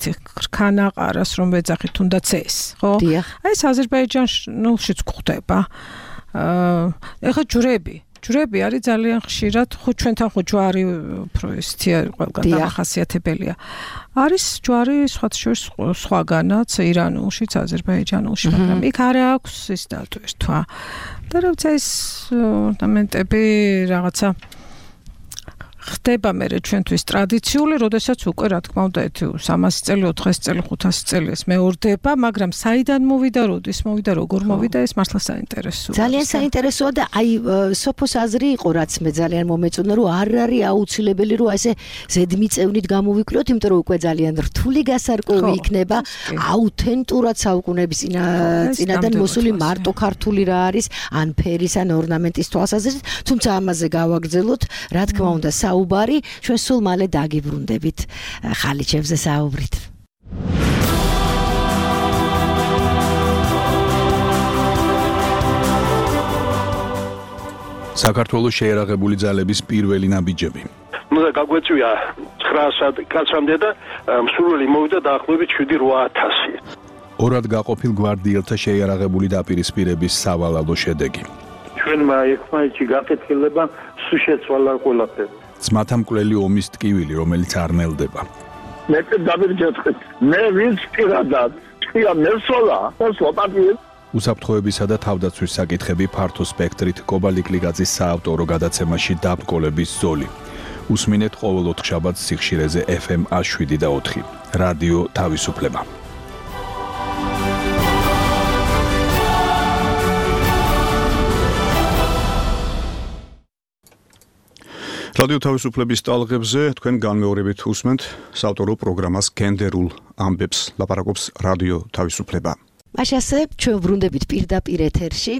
ქანაყარას რომ ვეძახით თუნდაც ეს, ხო? აი ეს აზერბაიჯანშიც გვხვდება. ეხლა ჯვრები არის ძალიან ხშირად, ხო ჩვენთან ხო ჯვარი უფრო ესეთი ყველგან დამახასიათებელია. არის ჯვარი სხვაგანაც ირანულშიც, აზერბაიჯანულში, მაგრამ იქ არ აქვს ის დატვირთვა. და როცა ეს ორნამენტები რაღაცა ხდება მე ჩვენთვის ტრადიციული, როდესაც უკვე რა თქმა უნდა 300 წელი, 400 წელი, 500 წელი ეს მეორდება, მაგრამ საიდან მოვიდა, როდის მოვიდა, როგორ მოვიდა, ეს მართლა საინტერესოა. ძალიან საინტერესოა და აი სოფოს აზრი იყო, რაც მე ძალიან მომეწონა, რომ არ არის აუცილებელი, რომ ესე ზედმიწევნით გამოვიკვლიოთ, იმიტომ რომ უკვე ძალიან რთული გასარკვევი იქნება, აუთენტურად საუკუნეების წინადან მოსული მარტო ქართული რა არის, ან ფერის, ან ორნამენტის თვალსაზრისით, თუმცა ამაზე გავაგრძელოთ, რა თქმა უნდა საუბარი, ჩვენ სულ მალე დაგიბრუნდებით ხალიჩებზე საუბრით. საქართველოს შეერაღებული ძალების პირველი ნაბიჯები. ნუ და გაგვეწვია 900 კაცამდე და მსურველი მოვიდა დაახლოებით 7-8000. ორად გაყოფილ გვარდიელთა შეერაღებული დაპირისპირების სავალალო შედეგი. ჩვენმა ერთმანეთში გაკეთილება სულ შეცვალა ყველაფერი. ძმათა მკვლელი ომის ტკივილი, რომელიც არ ნელდება. მე დავირჯეთქეთ. მე ვინც პირადად თქვია მესოლა, სლოპატიე. უსაფრთხოებისა და თავდაცვის საკითხები ფართო სპექტრით კობალიკლიგაძის საავტორო გადაცემაში დაბრკოლების ზოლი. უსმინეთ ყოველ 4 შაბათს სიხშირეზე FM 107.4. რადიო თავისუფლება. რადიო თავისუფლების ტალღებზე თქვენ განმეორებით უსმენთ საავტორო პროგრამას გენდერულ ამბებს, ლაპარაკობს რადიო თავისუფლება. მაშასე ჩვენ ვრუნდებით პირდაპირ ეთერში,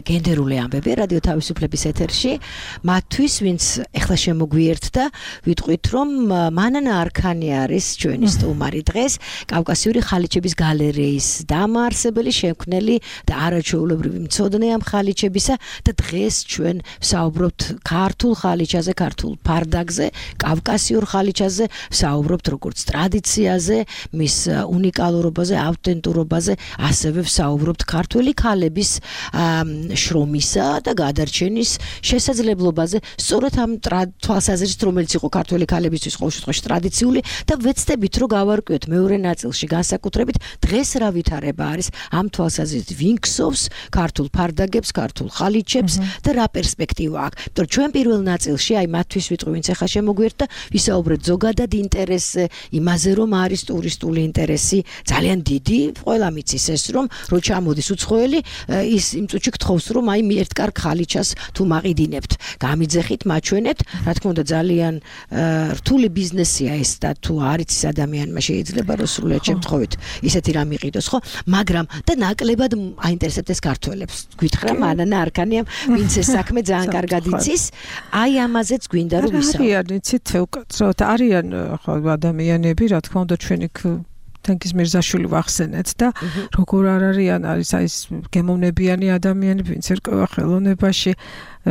გენდერული ამბები რადიო თავისუფლების ეთერში, მათთვის ვინც ეხლა შემოგვიერთდა, ვიტყვით რომ მანანა არქანი არის ჩვენი სტუმარი დღეს, კავკასიური ხალიჩების გალერეის დამაარსებელი, შემქმნელი და არაჩვეულებრივი მცოდნე ამ ხალიჩებისა და დღეს ჩვენ ვსაუბრობთ ქართულ ხალიჩაზე, ქართულ ფარდაგზე, კავკასიურ ხალიჩაზე, ვსაუბრობთ როგორც ტრადიციაზე, მის უნიკალურობაზე, ავთენტურობაზე, ასევე ვსაუბრობთ ქართველი ქალების შრომისა და გადარჩენის შესაძლებლობაზე, სწორედ ამ თვალსაზრისით, რომელიც იყო ქართველი ქალებისთვის ყოველ შემთხვევაში ტრადიციული და ვეცდებით რომ გავარკვიოთ მეორე ნაწილში განსაკუთრებით დღეს რა ვითარება არის ამ თვალსაზრისით ვინქსოვს ქართულ ფარდაგებს, ქართულ ხალიჩებს და რა პერსპექტივა აქვს. იმიტომ რომ ჩვენ პირველ ნაწილში აი მათთვის ვიტყვი ვინც ახლა შემოგვიერთდა, ვისაუბრეთ ზოგადად ინტერესზე, იმაზე რომ არის ტურისტული ინტერესი ძალიან დიდი, ყველა მიცის ეს რომ ჩამოდის უცხოელი ის იმ წუთში გთხოვს რომ აი ერთ კარგ ხალიჩას თუ მაყიდინებთ გამიძეხით მაჩვენეთ რა თქმა უნდა ძალიან რთული ბიზნესია ეს და თუ არის ის ადამიანმა შეიძლება რომ სრულიად შემთხვევით ისეთი რამ იყიდოს ხო მაგრამ და ნაკლებად აინტერესებთ ეს ქართველებს გითხრა მანანა არქანიამ ვინც ეს საქმე ძალიან კარგად იცის აი ამაზეც გვინდა რომ ვისაუბროთ არიან იცით უკაცრავად არიან ხო ადამიანები რა თქმა უნდა ჩვენი თენგიზ მირზაშვილი ვახსენეთ და როგორ არ არიან არის აი ეს გემოვნებიანი ადამიანები ვინც ერკვევა ხელოვნებაში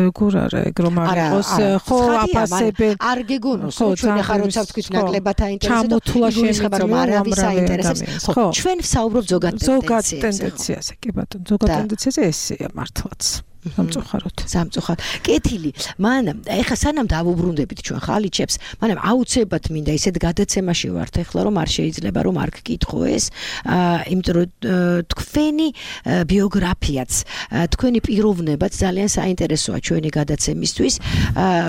როგორ არა ეგ რომ არ იყოს ხო აფასებენ არ გეგონოს ჩვენ ახლა როცა ვთქვით ნაკლებად აინტერესებს რომ არავის აინტერესებს ხო ჩვენ ვსაუბრობთ ზოგად ტენდენციაზე კი ბატონო ზოგად ტენდენციაზე ესეა მართლაც სამწუხაროდ კეთილი მანამ ეხა სანამ დავუბრუნდებით ჩვენ ხალიჩებს მანამ აუცილებლად მინდა ისეთ გადაცემაში ვართ ეხლა რომ არ შეიძლება რომ არ გკითხო ეს იმიტომ რომ თქვენი ბიოგრაფიაც თქვენი პიროვნებაც ძალიან საინტერესოა ჩვენი გადაცემისთვის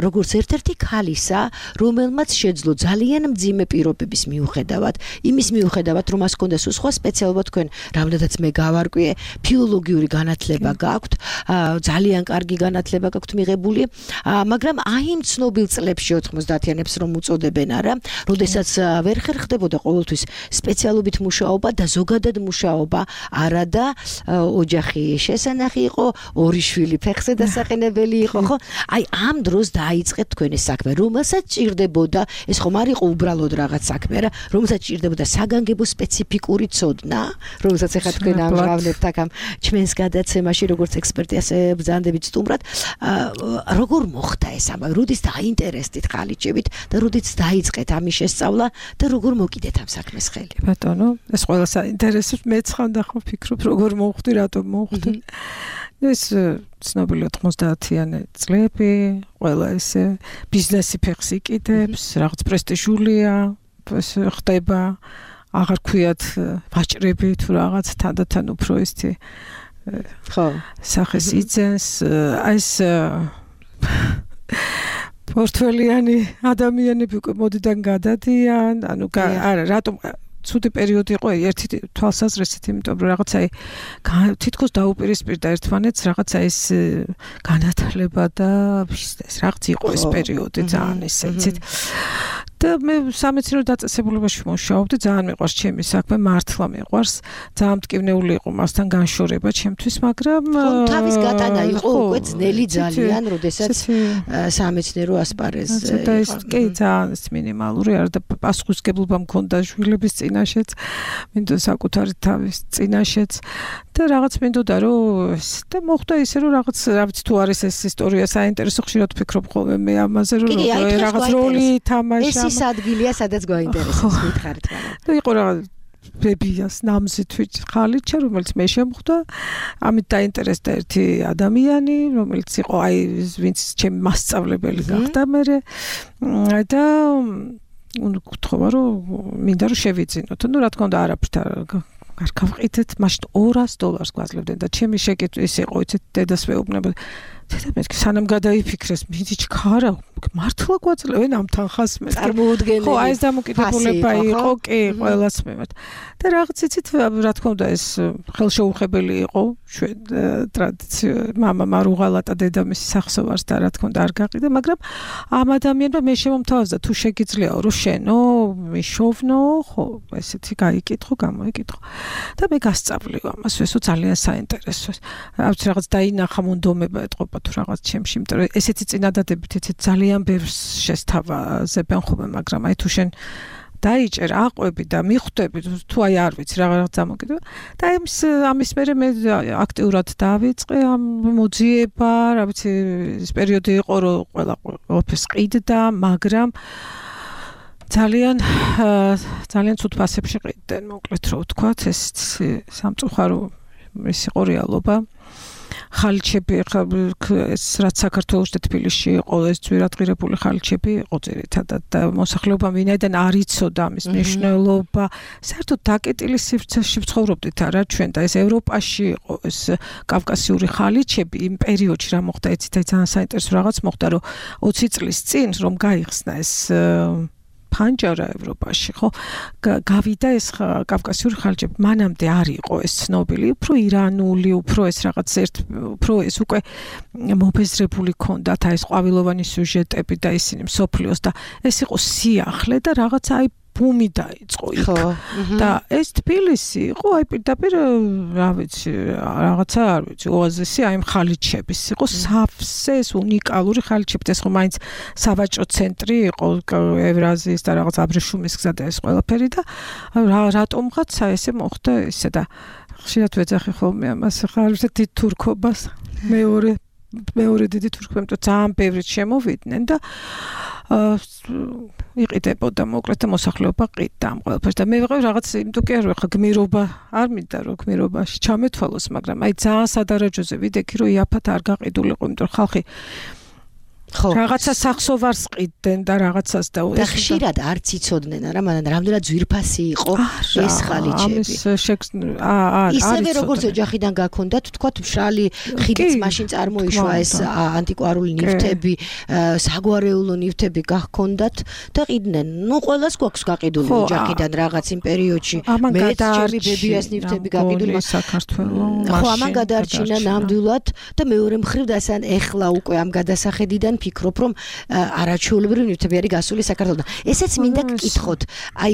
როგორც ერთ-ერთი ქალისა რომელმაც შეძლო ძალიან მძიმე პირობების მიუხედავად იმის მიუხედავად რომ მას ჰქონდა სხვა სპეციალობა თქვენ რამდენადაც მე გავარკვიე ფილოლოგიური განათლება გაქვთ ძალიან კარგი განათლება გაქვთ მიღებული, მაგრამ აი იმ ცნობილ წლებში 90-იანებს რომ უწოდებენ არა, როდესაც ვერ ხერხდებოდა ყოველთვის სპეციალობით მუშაობა და ზოგადად მუშაობა, არა და ოჯახი შესანახი იყო, ორი შვილი ფეხზე დასაყენებელი იყო, ხო? აი ამ დროს დაიწყეთ თქვენი საქმე, რომელსაც ჭირდებოდა, ეს ხომ არ იყო უბრალოდ რაღაც საქმე, არა, რომელსაც ჭირდებოდა საგანგებო სპეციფიკური ცოდნა, რომელსაც ახლა თქვენ ამჟღავნებთ აქ ამ ჩვენს გადაცემაში როგორც ექსპერტი ასე ბრძანდებით სტუმრად. როგორ მოხდა ეს ამბავი? როდის დაინტერესდით ხალიჩებით და როდეც დაიწყეთ ამის შესწავლა და როგორ მოკიდეთ ამ საქმეს ხელი? ბატონო, ეს ყველა საინტერესოდ მეც ხანდა ხო ფიქრობ, როგორ მოვხვდი, რატომ მოვხვდი. ეს ცნობილი 90-იანი წლები, ყველა ესე ბიზნესი ფეხს იკიდებს, რაღაც პრესტიჟულია, ეს ხდება, აღარ ქვიათ ვაჭრები თუ რაღაც თანდათან უფრო ისეთი ხო, სახეს იძენს, ეს პორტფელიანი ადამიანები უკვე მოდიდან გადადიან, ანუ არა, რატომ ცუდი პერიოდი იყო ერთი თვალსაზრისით, იმიტომ რომ რაღაცა თითქოს დაუპირისპირდა ერთმანეთს, რაღაცა ეს განათლება და ბიზნესი რაღაც იყო ეს პერიოდი ძალიან ისეთ. და მე სამეცნიერო დაწესებულებაში მუშაობდი, ძალიან მიყვარს ჩემი საქმე, მართლა მიყვარს, ძალიან მტკივნეული იყო მასთან განშორება ჩემთვის, მაგრამ თავის გატანა იყო უკვე ძნელი ძალიან, როდესაც სამეცნიერო ასპარეზზე იყო. კი, ძალიან მინიმალური, არა და პასუხისმგებლობა მქონდა შვილების წინაშეც, მინდოდა საკუთარი თავის წინაშეც და რაღაც მინდოდა რომ და მოხდა ისე რომ რაღაც თუ არის ეს ისტორია საინტერესო, ხშირად ვფიქრობ ხოლმე მე ამაზე რომ რაღაც როლი თამაშა. ეს ადგილია, სადაც გვაინტერესებს მითხარით, მაგრამ. და იყო რაღაც ბებიას ნამზით ხალიჩა, რომელიც მე შემხვდა. ამით დაინტერესდა ერთი ადამიანი, რომელიც იყო ვინც ჩემი მასწავლებელი გახდა მე და გთხოვა რომ მინდა რომ შევიძინოთ. ნუ რა თქმა უნდა არაფრით არ გავყიდეთ, მაშინ $200 გვაძლევდნენ და ჩემი შეკითხვა ის იყო, იცით, დედას ვეუბნებოდი. დედა სანამ გადაიფიქრეს, მიდი ჩქარა, მართლა გვაძლევენ ამ თანხას მე. წარმოუდგენელი. ხო, ეს დამოკიდებულება იყო, კი, ყველას მიმართ. და რაღაც იცით, რა თქმა უნდა, ეს ხელშეუხებელი იყო, ჩვენ ტრადიციო, მამა მარუღალატა დედამისი სახსოვარს და რა თქმა უნდა არ გაყიდა, მაგრამ ამ ადამიანმა მე შემომთავაზა, თუ შეგიძლიაო, რომ შენო, მიშოვნო, ხო, ესეთი გაიკითხო, გამოიკითხო. და მე გასწავლი ამას, ესო ძალიან საინტერესოა. არც რაღაც დაინახა მონდომება ეთყობა თუ რაღაც ჩემში, იმიტომ რომ ესეთი წინადადებით ესეთ ძალიან ბევრს შესთავაზებენ ხოლმე, მაგრამ აი თუ შენ დაიჭერ აყვები და მიხვდები თუ აი არ ვიცი რაღაც დამოკიდება და ამის მერე მე აქტიურად დავიწყე ამ მოძიება, რა ვიცი, ეს პერიოდი იყო რომ ყველა ოფისს ყიდდა, მაგრამ ძალიან ცუდ ფასებში ყიდდნენ, მოკლედ რო ვთქვათ, ეს სამწუხარო ის იყო რეალობა. ხალიჩები ეს რაც საქართველოს და თბილისში იყო ეს ძვირადღირებული ხალიჩები იყო ძირითადად და მოსახლეობამ ვინაიდან არ იცოდა ამის მნიშვნელობა, საერთოდ დაკეტილი სივრცეში ვცხოვრობდით არა ჩვენ და ეს ევროპაში იყო ეს კავკასიური ხალიჩები იმ პერიოდში რა მოხდა, იცით, ძალიან საინტერესო რაღაც მოხდა, რომ 20 წლის წინ რომ გაიხსნა ეს ფანჯარა ევროპაში, ხო? გავიდა ეს კავკასიური ხალიჩები. მანამდე არ იყო ეს ცნობილი, უფრო ირანული, უფრო ეს რაღაც უფრო ეს უკვე მობეზრებული ქონდათ, აი ეს ყვავილოვანი სიუჟეტები და ისინი მსოფლიოს და ეს იყო სიახლე და რაღაცა აი ბუმი დაიწყო იქ. და ეს თბილისი იყო აი პირდაპირ რა ვიცი, რაღაცა არ ვიცი, ოაზისი აი ხალიჩების იყო სავსე ეს უნიკალური ხალიჩები, ეს ხო მაინც სავაჭრო ცენტრი იყო ევრაზიის და რაღაც აბრეშუმის გზა და ეს ყველაფერი და რატომღაცა ესე მოხდა ესე და ხშირად ვეძახი ხოლმე ამას ხარ დიდ თურქობას მეორე დიდი თურქები ძალიან ბევრით შემოვიდნენ და იყიდებოდა მოკლედ და მოსახლეობა ყიდდა ამ ყველაფერს და მე ვიყავ რაღაც იმიტომ კი არ ვახა გმირობა არ მინდა რომ გმირობაში ჩამეთვალოს, მაგრამ აი ძალიან სადარაჯოზე ვიდექი რომ იაფად არ გაყიდულიყო, იმიტომ რომ ხალხი ხო რაღაცა სახსოვარს ყიდდნენ და რაღაცას და ხშირად არც იცოდნენ არა, მაგრამ რამდენად ძვირფასი იყო ეს ხალიჩები. ისევე როგორც ოჯახიდან გაქონდათ, თქვათ, მშრალი ხიდიც მაშინ წარმოიშვა ეს ანტიკვარული ნივთები, საგვარეულო ნივთები გაქონდათ და ყიდნენ. ნუ ყველას გვაქვს გაყიდული ოჯახიდან რაღაც იმ პერიოდში. მეც ჩემი ბებიას ნივთები გაყიდული საქართველოს. ხო, ამან გადარჩინა ნამდვილად და მეორე მხრივ დასან ეხლა უკვე ამ გადასახედიდან ფიქრობ რომ არაჩვეულებრივი ნივთები არის გასული საქართველოსთან. ესეც მინდა გკითხოთ, აი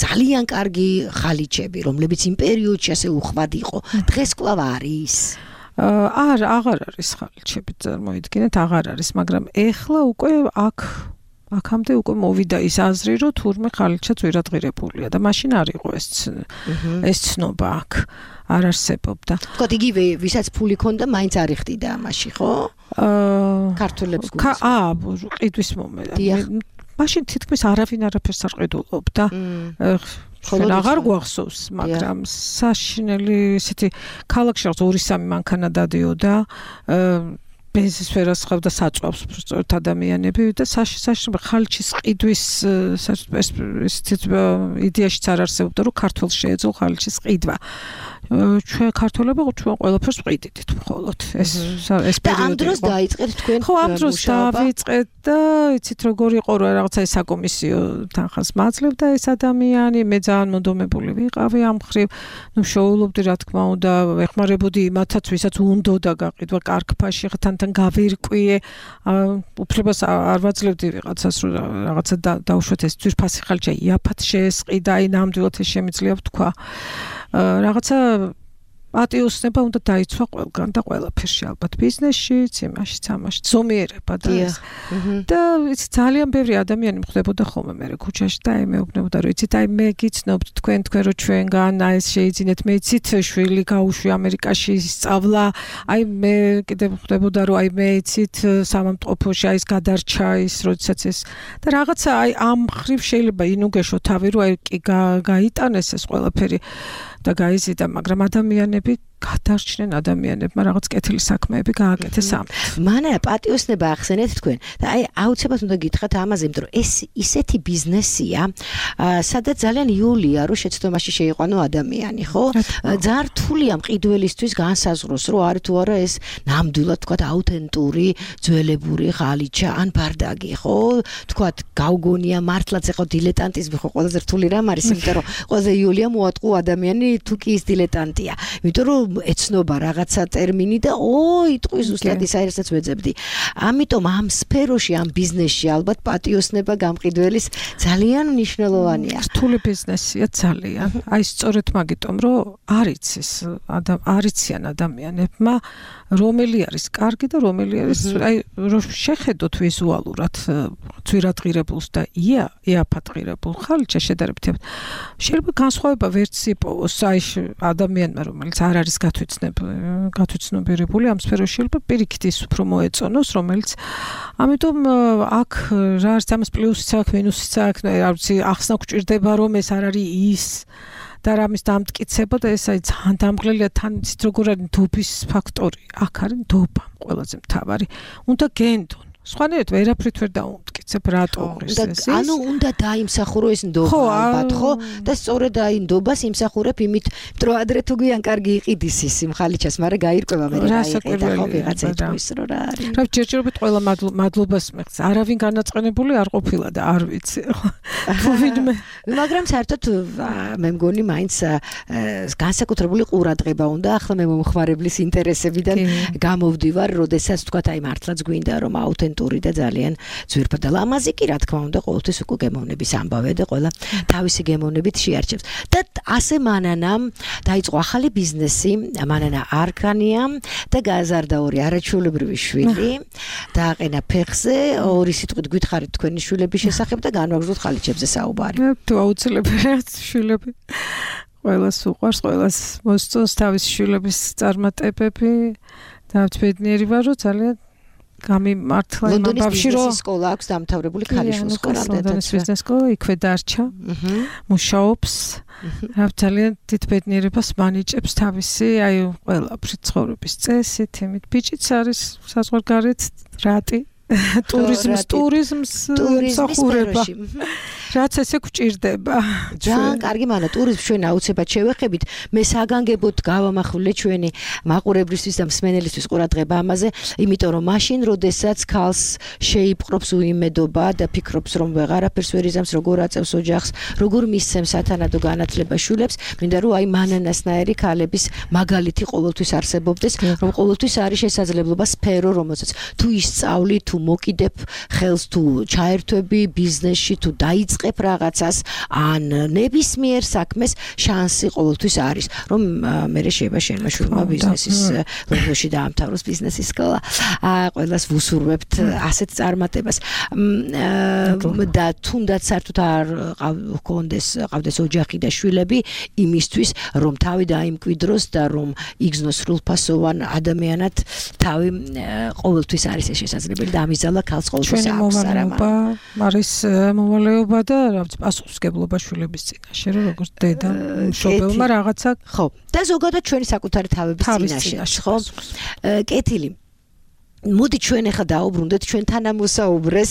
ძალიან კარგი ხალიჩები, რომლებიც იმ პერიოდში ასე უხვად იყო, დღეს კვლავ არის? აღარ არის ხალიჩები, წარმოიდგინეთ, აღარ არის, მაგრამ ეხლა უკვე აქ აქამდე უკვე მოვიდა ის აზრი, რომ თურმე ხალიჩა ძვირადღირებულია და მაშინ არ იყო ეს ცნობა აქ არ არსებობდა. თქვათ იგივე ვისაც ფული ქონდა, მაინც არ იხდიდა ამაში, ხო? ქართველებს ყიდვის მომენტ. მაშინ თითქმის არავინ არაფერს არ ყიდულობდა. ხოლო აღარ გვახსოვს, მაგრამ საშინელი ისეთი ქალაქში 2-3 მანქანა დადიოდა, ბენზინს ვერას ხავდა საწვავს სწორედ ადამიანები და საშინელი ხალჩის ყიდვის იდეაშიც არ არსებობდა, რომ ქართველს შეეძლო ხალჩის ყიდვა. ჩვენ ქართველები ჩვენ ყველაფერს ვყიდით მხოლოდ ეს და ამ დროს დაიწყეთ თქვენ ხო ამ დროს დავიწყეთ და იცით როგორ იყო რა რაღაცა ეს საკომისიო თანხას მაძლევდა ეს ადამიანი მე ძალიან მონდომებული ვიყავი ამ ხრივ ნუ შოულობდი რა თქმა უნდა ეხმარებოდი იმათაც ვისაც უნდოდა გაყიდვა კარგფაში თან გავირკვიე უფლებას არ ვაძლევდი ვიღაცას რომ რაღაცა დაუშვათ ეს ძვირფასი ხალხი იაფად შეესყიდა აი ნამდვილად ეს შემიძლია ვთქვა რაღაცა პატიოსნება უნდა დაიცვა ყველგან და ყველაფერში ალბათ ბიზნესშიც, იმაშიც, ამაშიც, ზომიერება და ეს. და იცი ძალიან ბევრი ადამიანი მხვდებოდა ხოლმე მე ქუჩაში და აი მეუბნებოდა რომ იცით აი მე გიცნობთ თქვენ რომ ჩვენგან აი ეს შეიძინეთ მე იცით შვილი გაუშვი ამერიკაში სწავლა აი მე კიდე მხვდებოდა რომ აი მე იცით სამამტყოფოში აი ეს გადარჩა ის როდესაც ეს და რაღაცა აი ამ ხრივ შეიძლება ინუგეშო თავი რომ აი კი გაიტანეს ეს ყველაფერი და გაიზიდა, მაგრამ ადამიანები გადარჩნენ ადამიანებმა რაღაც კეთილი საქმეები გააკეთეს ამ. მანერა პატიოსნება ახსენეთ თქვენ და აი აუცილებლად უნდა გითხრათ ამაზე, იმიტომ რომ ეს ისეთი ბიზნესია, სადაც ძალიან იულია რომ შეცდომაში შეიყვანო ადამიანი, ხო? ძალიან რთულია მყიდველისთვის განსაზღვროს, რომ არის თუ არა ეს ნამდვილად თქვათ აუთენტური, ძველებური ღალიჩა ან ბარდაგი, ხო? თქვათ გავგონია მართლაც ეხო დილეტანტიზმი ხო ყველაზე რთული რამ არის, იმიტომ რომ ყველაზე იულია მოატყუ ადამიანი თუ კი ის დილეტანტია. იმიტომ რომ ეცნობა რაღაცა ტერმინი და იტყვის ზუსტად ის აერსაც ვეძებდი. ამიტომ ამ სფეროში, ამ ბიზნესში ალბათ პატიოსნება გამყიდველის ძალიან მნიშვნელოვანია. რთული ბიზნესია ძალიან. აი სწორედ მაგიტომ რომ არიციან ადამიანებმა რომელი არის კარგი და რომელი არის აი რომ შეხედოთ ვიზუალურად ძვირადღირებულს და იაფადღირებულ ხალიჩა შედარებით შეიძლება განსხვავება ვერც იპოვოს აი ადამიანმა რომელიც არ არის გათვითცნობიერებული ამ სფეროში შეიძლება პირიქით ის უფრო მოეწონოს რომელიც ამიტომ აქ რა არის ამას პლუსიც აქვს მინუსიც აქვს არ ვიცი ახსნა გვჭირდება რომ ეს არ არის ის და რამის დამტკიცება და ეს აი ძალიან დამღლელია თან იცით როგორ არის ნდობის ფაქტორი აქ არის ნდობა ყველაზე მთავარი უნდა გენდონ სხვანაირად ვერაფრით ვერ დაუმტკიცებ რატო ეს ანუ უნდა დაიმსახურო ეს ნდობა ალბათ ხო და სწორედ აი ნდობას იმსახურებ იმით რომ ადრე თუ გვიან კარგი იყიდის ის ხალიჩას მაგრამ გაირკვევა მე რა იყიდა ხო ვიღაცა იტყვის რომ რა არის რა ჯერჯერობით ყველა მადლობას მიღწ არავინ განაწყენებული არ ყოფილა და არ ვიცი ხო ვინმე მაგრამ საერთოდ მე მგონი მაინც განსაკუთრებული ყურადღება უნდა ახლა მე მომხმარებლის ინტერესებიდან გამოვდივარ როდესაც თქვა აი მართლაც გვინდა რომ აუთენტური და ძალიან ძვირფასი და ლამაზი კი რა თქმა უნდა ყოველთვის უკვე გემოვნების ამბავია და ყველა თავისი გემოვნებით შეარჩევს და ასე მანანამ დაიწყო ახალი ბიზნესი მანანა არქანია და გააზარდა ორი არაჩვეულებრივი შვილი დააყენა ფეხზე ორი სიტყვით გითხარით თქვენი შვილების შესახებ და განვაგრძოთ ხალიჩებზე საუბარი თუ აუცილებელია შვილები ყველას უყვარს ყველას მოსწონს თავის შვილების წარმატებები და ბედნიერი ვარ რომ ძალიან გამიმართლა იმ ბავში რომ სკოლა აქვს დამთავრებული ქალიშვილის სკოლა ლონდონის ბიზნეს სკოლა იქვე დარჩა მუშაობს რა ძალიან დიდ ბედნიერებას მანიჭებს თავისი აი ყველაფრით ცხოვრების წესით იმით ბიჭიც არის საზღვარგარეთ რატი ტურიზმს მსახურება რაც ესე გვჭირდება ძალიან კარგი მანა ტურიზმს ჩვენ აუცილებლად შევეხებით მე საგანგებოდ გავამახვილე ჩვენი მაყურებლისთვის და მსმენელისთვის ყურადღება ამაზე იმიტომ რომ მაშინ როდესაც ქალს შეიპყრობს უიმედობა და ფიქრობს რომ ვეღარაფერს ვერ იზამს როგორ აწევს ოჯახს როგორ მისცემს სათანადო განათლება შვილებს მინდა რომ აი მანანასნაირი ქალების მაგალითი ყოველთვის არსებობდეს რომ ყოველთვის არის შესაძლებლობა სფერო რომელსაც თუ ისწავლი თუ მოკიდებ ხელს თუ ჩაერთვები ბიზნესში თუ დაიწყებ რაღაცას ან ნებისმიერ საქმეს შანსი ყოველთვის არის რომ მე შეიძლება შენმა შვილმა ბიზნესის ლონდონში დაამთავროს ბიზნესის სკოლა ყველას ვუსურვებთ ასეთ წარმატებას და თუნდაც საერთოდ არ ყავდეს ოჯახი და შვილები იმისთვის რომ თავი დაიმკვიდროს და რომ იგზნოს სრულფასოვან ადამიანად თავი ყოველთვის არის ეს შესაძლებელი და ამისალა ქალს ყოველთვის აქვს არის მოვალეობა და რაღაც პასუხისმგებლობა შვილების წინაშე რომ როგორც დედა მშობელმა რაღაცა ხო და ზოგადად ჩვენი საკუთარი თავების წინაშე ხო კეთილი მოდი ჩვენ ახლა დაუბრუნდეთ ჩვენ თანამოსაუბრეს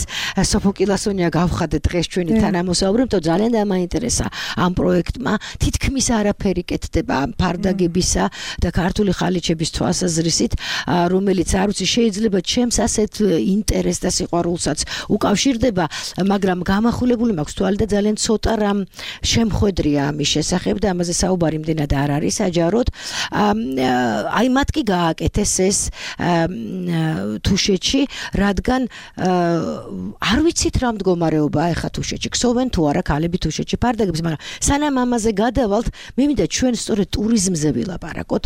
სოფოკილასონია გავხადეთ დღეს ჩვენი თანამოსაუბრე თო ძალიან დამაინტერესა ამ პროექტმა თითქმის არაფერი კეთდება ფარდაგებისა და ქართული ხალიჩების თვალსაზრისით რომელიც არ ვიცი შეიძლება ჩემს ასეთ ინტერესს და სიყვარულსაც უკავშირდება მაგრამ გამახვილებული მაქვს თვალი და ძალიან ცოტა რამ შემხვედრია ამის შესახებ და ამაზე საუბარი იმდენად არ არის საჯაროდ აი მათ კი გააკეთეს ეს თუშეთში, რადგან არ ვიცით რა მდგომარეობაა ახლა თუშეთში. ქსოვენ თუ არა ქალები თუშეთში ფარდაგებს, მაგრამ სანამ ამაზე გადავალთ, მე მინდა ჩვენ სწორედ ტურიზმზე ვილაპარაკოთ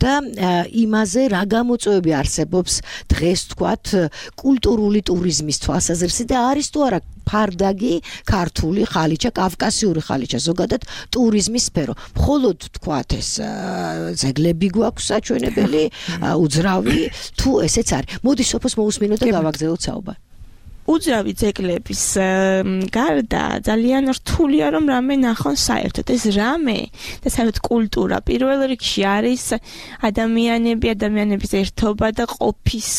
და იმაზე რა გამოწვევები არსებობს დღეს თქვათ კულტურული ტურიზმის თვალსაზრისით და არის თუ არა ფარდაგი, ქართული ხალიჩა, კავკასიური ხალიჩა, ზოგადად ტურიზმის სფერო. მხოლოდ თქვათ ეს ძეგლები გვაქვს საჩვენებელი, უძრავი თუ ესეც არის. მოდი სოფოს მოусმინოთ და გავაგზავნოთ საუბარი. უძრავი ძეგლების გარდა ძალიან რთულია რომ რამე ნახონ საერთოდ ეს რამე და საერთოდ კულტურა პირველ რიგში არის ადამიანების ერთობა და ყოფის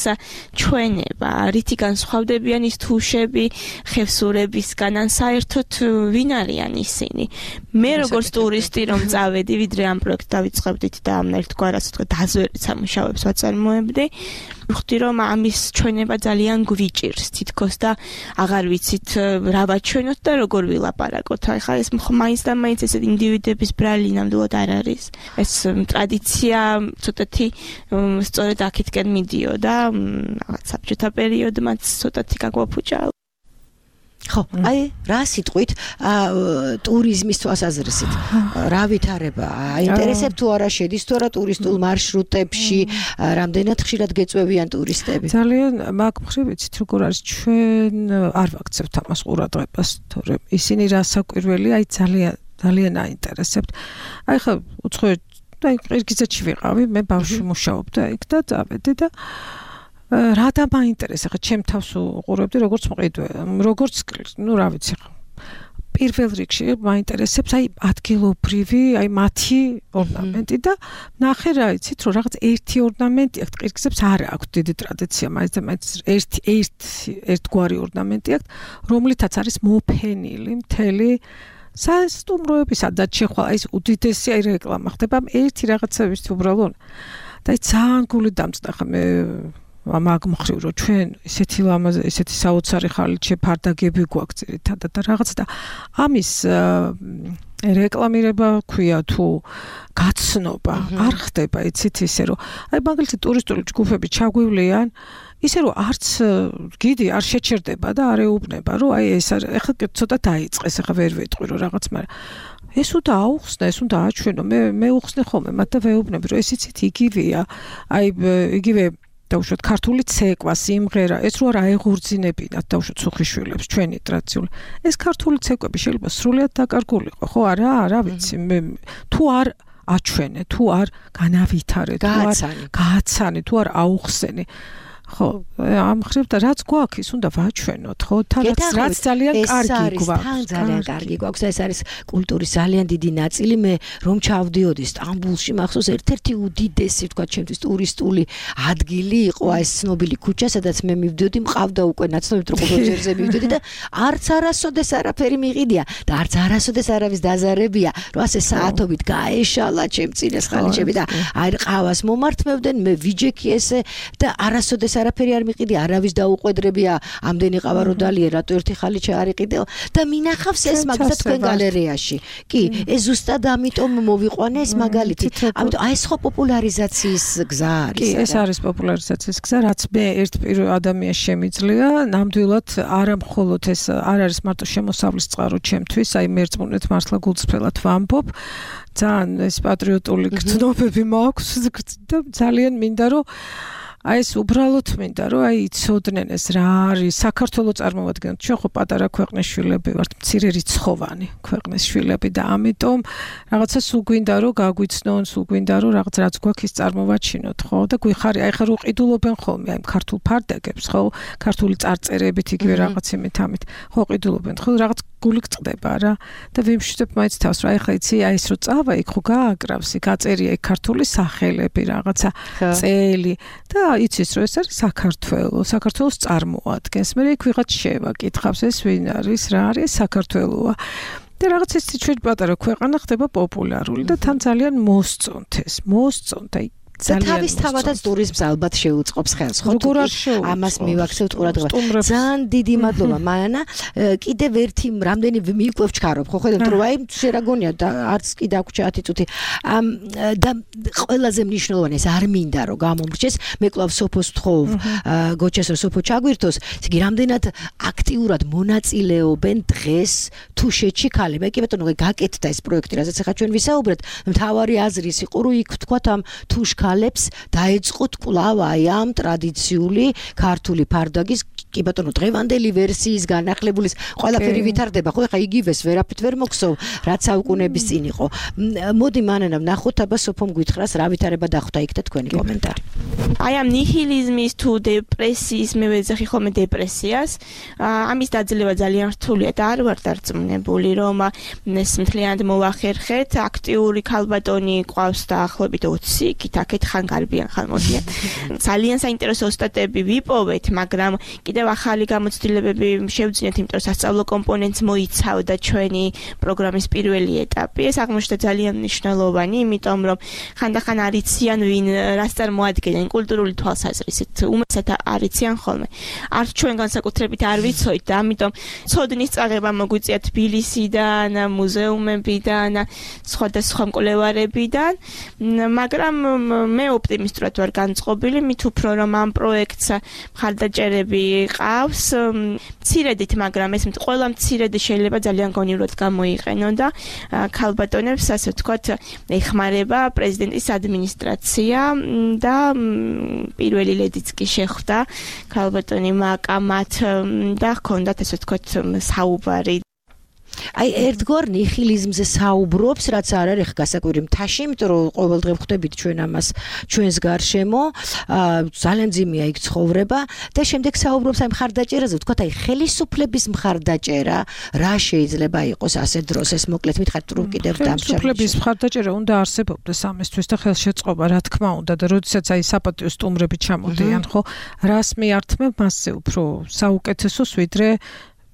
ჩვენება რითი განსხვავდებიან ის თუშები ხევსურებისგან ან საერთოდ ვინ არიან ისინი მე როგორც ტურისტი რომ წავედი ვიდრე ამ პროექტს დავიწყებდით და ერთგვარად ასე ვთქვათ დაზვერეთ სამუშაოებს ვაწარმოებდი ვხვდი რომ ამის ჩვენება ძალიან გვიჭირს თითქოს და აღარ ვიცით რა ვაჩვენოთ და როგორ ვილაპარაკოთ. ახლა ეს მაინც და მაინც ეს ინდივიდების ბრალი ნამდვილად არ არის. ეს ტრადიცია ცოტათი სწორედ აქეთკენ მიდიოდა, რაღაც საბჭოთა პერიოდმაც ცოტათი გაგვაფუჭა. ხო, აი რა სიტყვით ტურიზმის თვალსაზრისით რა ვითარება აინტერესებს თუ არა შედის თუ არა ტურისტულ მარშრუტებში რამდენად ხშირად გეწვევიან ტურისტები ძალიან მაგ მხრივ ვიცით როგორ არის ჩვენ არ ვაქცევთ ამას ყურადღებას თორემ ისინი რასაკვირველი აი ძალიან აინტერესებთ აი ხა უცხოეთ და ყირგიზეთში ვიყავი მე ბავშვი მუშაობდა იქ და წავედი და რა დამაინტერესა ხა ჩემ თავს უყურებდი როგორც მყიდვე როგორც ნუ რა ვიცი ხა პირველ რიგში მაინტერესებს აი ადგილობრივი აი მათი ორნამენტი და ნახე რა იცით რომ რაღაც ერთი ორნამენტი აქვს ყირგიზებს არ აქვს დიდი ტრადიცია მაინც და მაინც ერთგვარი ორნამენტი აქვს რომლითაც არის მოფენილი მთელი სასტუმროების სადაც შეხვალ აი ეს უდიდესი აი რეკლამა ხდება ერთი რაღაცების უბრალოდ და აი ძალიან გული დამწდა ხა მე მაგ მხრივ რომ ჩვენ ესეთი ლამაზი ესეთი საოცარი ხალიჩე ფარდაგები გვაქვს ძირითადად და რაღაც და ამის რეკლამირება ქვია თუ გაცნობა არ ხდება იცით ისე რომ აი მაგალითად ტურისტული ჯგუფები ჩაგვივლიან ისე რომ არც გიდი არ შეჩერდება და არ ეუბნება რომ აი ეს ახლა ცოტა დაიწყეს ახლა ვერ ვეტყვი რომ რაღაც მაგრამ ეს უნდა აუხსნა ეს უნდა აჩვენო მე უხსნე ხოლმე მათ და ვეუბნები რომ ეს იცით იგივეა აი იგივე დაუშვათ ქართული ცეკვა, სიმღერა, ეს რო არ აეღურძინებინათ დაუშვათ სუხიშვილებს ჩვენი ტრადიციული. ეს ქართული ცეკვები შეიძლება სრულიად დაკარგულიყო, ხო არა ვიცი, მე თუ არ აჩვენე, თუ არ განავითარე, თუ არ გააცანე, თუ არ აუხსენე. ხო, ამ ხრივ და რაც გვაქვს, ის უნდა ვაჩვენოთ, ხო? რაც ძალიან კარგი გვაქვს. თან ძალიან კარგი გვაქვს და ეს არის კულტურის ძალიან დიდი ნაწილი. მე რომ ჩავდიოდი სტამბულში, მახსოვს ერთ-ერთი უდიდესი, ვთქვათ, ჩემთვის ტურისტული ადგილი იყო ეს ცნობილი ქუჩა, სადაც მე მივდიოდი, მყავდა უკვე ნაცნობი ტროპოლოგიებზე მივდიოდი და არც არასოდეს არაფერი მიყიდია და არც არასოდეს არავის დაზარებია, რომ ასე საათობით გაეშალა ჩემ წინეს ხალიჩები და აი ყავას მომართმევდნენ, მე ვიჯექი ესე და არასოდეს არაფერი არ მიყიდი, არავის დაუყვედრებია, ამდენი ყავა რო დალიე, რატო ერთი ხალიჩა არ იყიდეო და მინახავს ეს მაგდა თქვენ გალერეაში. კი, ეს ზუსტად ამიტომ მოვიყვანე ეს მაგალითი. ამიტომ აი ეს ხო პოპულარიზაციის გზა არის. კი, ეს არის პოპულარიზაციის გზა, რაც მე ერთ პირველ ადამიანს შემიძლია, ნამდვილად არა მხოლოდ ეს არ არის მარტო შემოსავლის წყარო ჩემთვის, აი მერწმუნეთ მართლა გულწრფელად ვამბობ. ძალიან ეს პატრიოტული გრძნობები მაქვს და ძალიან მინდა რომ აი ეს უბრალოდ მინდა რომ აი იცოდნენ ეს რა არის საქართველოს წარმოვადგენთ ჩვენ ხო პატარა ქვეყნის შვილები ვართ მცირე რიცხოვანი ქვეყნის შვილები და ამიტომ რაღაცა სულ გვინდა რომ გაგვიცნონ სულ გვინდა რომ რაღაც გვაქვს ის წარმოვაჩინოთ ხო და გვიხარი აი ხა რო ყიდულობენ ხოლმე აი ქართულ ფარდაგებს ხო ქართული წარწერებით იგივე რაღაც იმით ამით ხო ყიდულობენ ხო რაღაც გული გწყდება რა და ვიმშვიდობ მაინც თავს რა ეხლა იცი აი ეს რო წავა იქ ხო გააკრავს იქ აწერია იქ ქართული სახელები რაღაცა წელი და იცის რომ ეს არის საქართველოს წარმოადგენს მე იქ ვიღაც შევაკითხავს ეს ვინ არის რა არის საქართველოა და რაღაც ეს ჩვენ პატარა ქვეყანა ხდება პოპულარული და თან ძალიან მოსწონთ აი და თავის თავადაც ტურიზმს ალბათ შეუწყობს ხელს ხო ამას მივაქცევთ ყურადღება ძალიან დიდი მადლობა მანანა კიდევ ერთი რამდენი მიიკვევ ჩქარობ ხო ხედავთ რომ აი შერაგონია და არც კი დაგვჭა 10 წუთი და ყველაზე მნიშვნელოვანი ეს არ მინდა რომ გამომრჩეს მე კლავ სოფოს თხოვ გოჩას რომ სოფო ჩაგვირთოს იგი რამდენად აქტიურად მონაწილეობენ დღეს თუშეთში ქალები კი ბატონო გაკეთდა ეს პროექტი რასაც ახლა ჩვენ ვისაუბრეთ მთავარი აზრის იყო რომ იქ თქვათ ამ თუშ ქალებს დაეწყოთ კვლავ აი ამ ტრადიციული ქართული ფარდაგის კი ბატონო დღევანდელი ვერსიის განახლებულის ყველაფერი ვითარდება ხო ეხა იგივეს ვერაფრით ვერ მოხსოვ რაც საუკუნეების წინ იყო მოდი მანანა ვნახოთ აბა სოფომ გითხრას რა ვითარება დახვდა იქ და თქვენი კომენტარი აი ამ ნიჰილიზმის თუ დეპრესიის მე ვეძახი ხოლმე დეპრესიას ამის დაძლევა ძალიან რთულია და არ ვარ დარწმუნებული რომ ეს მთლიანად მოვახერხეთ აქტიური ქალბატონი ყავს დაახლოებით 20 კითაკეთ ხან გარბიან ხან მოდიან ძალიან საინტერესო სტატიები ვიპოვეთ მაგრამ კიდევ ახალი გამოცდილებები შევძინეთ იმიტომ რომ სასწავლო კომპონენტს მოიცავდა ჩვენი პროგრამის პირველი ეტაპი ეს აღმოჩნდა ძალიან მნიშვნელოვანი იმიტომ რომ ხანდახან არიციან ვინ რას წარმოადგენენ კულტურული თვალსაზრისით უმეტესად არიციან ხოლმე არც ჩვენ განსაკუთრებით არ ვიცოით და ამიტომ ცოდნის წაღება მოგვიწია თბილისიდან მუზეუმებიდან სხვადასხვა მკვლევარებიდან მაგრამ მე ოპტიმისტურად ვარ განწყობილი მით უფრო რომ ამ პროექტს მხარდაჭერები ყავს მცირედით მაგრამ ეს ყველა მცირედი შეიძლება ძალიან გონივრად გამოიყენო და ქალბატონებს ასე ვთქვათ ეხმარება პრეზიდენტის ადმინისტრაცია და პირველი ლედიც კი შეხვდა ქალბატონი მაკამათ და ჰქონდათ ასე ვთქვათ საუბარი აი ერთგვარ ნიჰილიზმზე საუბრობს რაც არ არის გასაკვირი მთაში იმიტომ რომ ყოველდღე ვხვდებით ჩვენ ამას ჩვენს გარშემო ძალიან ძიმია იქ ცხოვრება და შემდეგ საუბრობს აი მხარდაჭერაზე ვთქვათ აი ხელისუფლების მხარდაჭერა რა შეიძლება იყოს ასე დროს ეს მოკლედ მითხარით რომ კიდევ დამშრალ ხელისუფლების მხარდაჭერა უნდა არსებობდეს ამისთვის და ხელშეწყობა რა თქმა უნდა და როდესაც აი საპატიო სტუმრები ჩამოდიან ხო რას მიართმევ მასზე უფრო საუკეთესოს ვიდრე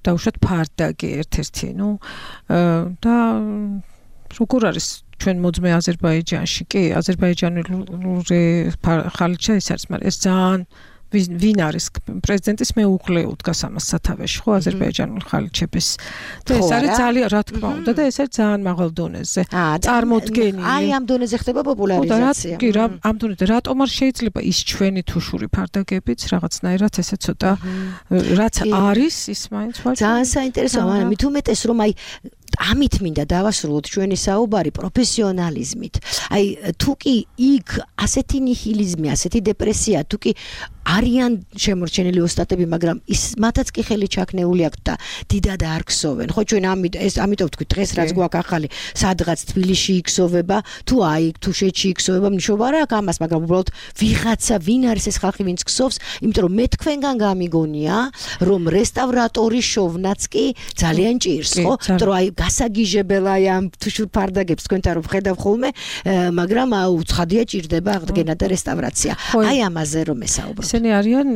დაუშვათ ფარდაგი ერთ-ერთი, და როგორ არის ჩვენ მოძმე აზერბაიჯანში, კი, აზერბაიჯანული ხალიჩა ის არის, მაგრამ ეს ძალიან ვინ არის პრეზიდენტის მეუღლე უდგას ამას სათავეში, ხო, აზერბაიჯანული ხალიჩების. და ეს არის ძალიან, რა თქმა უნდა, და ეს არის ძალიან მაღალ დონეზე. წარმოდგენილი. აი ამ დონეზე ხდება პოპულარიზაცია. კი, ამ დონეზე რატომ არ შეიძლება ის ჩვენი თუშური ფარდაგებიც რაღაცნაირად ესე ცოტა რაც არის ის მაინც ვარ. ძალიან საინტერესოა, მაგრამ მით უმეტეს რომ აი ამით მინდა დავასრულოთ ჩვენი საუბარი პროფესიონალიზმით. აი თუ კი იქ ასეთი ნიჰილიზმი, ასეთი დეპრესია, თუ კი არიან შემორჩენილი ოსტატები, მაგრამ ის მათაც კი ხელი ჩაქნეული აქვს და დიდად არ ქსოვენ. ხო ჩვენ ამიტომ ვთქვით დღეს რაც გვაქვს ახალი, სადღაც თბილისში იქსოვება, თუ აი თუშეთში იქსოვება, მნიშვნელობა არ აქვს ამას, მაგრამ უბრალოდ ვიღაცა ვინ არის ეს ხალხი, ვინც ქსოვს, იმიტომ რომ მე თქვენგან გამიგონია, რომ რესტავრატორის შოვნაც კი ძალიან ჭირს, ხო? იმიტომ რომ აი გასაგიჟებელია ამ თუშურ ფარდაგებს თქვენთან რომ ხედავ ხოლმე, მაგრამ უცხადია ჭირდება აღდგენა და რესტავრაცია. აი ამაზე რომ ესაუბროთ. ისინი არიან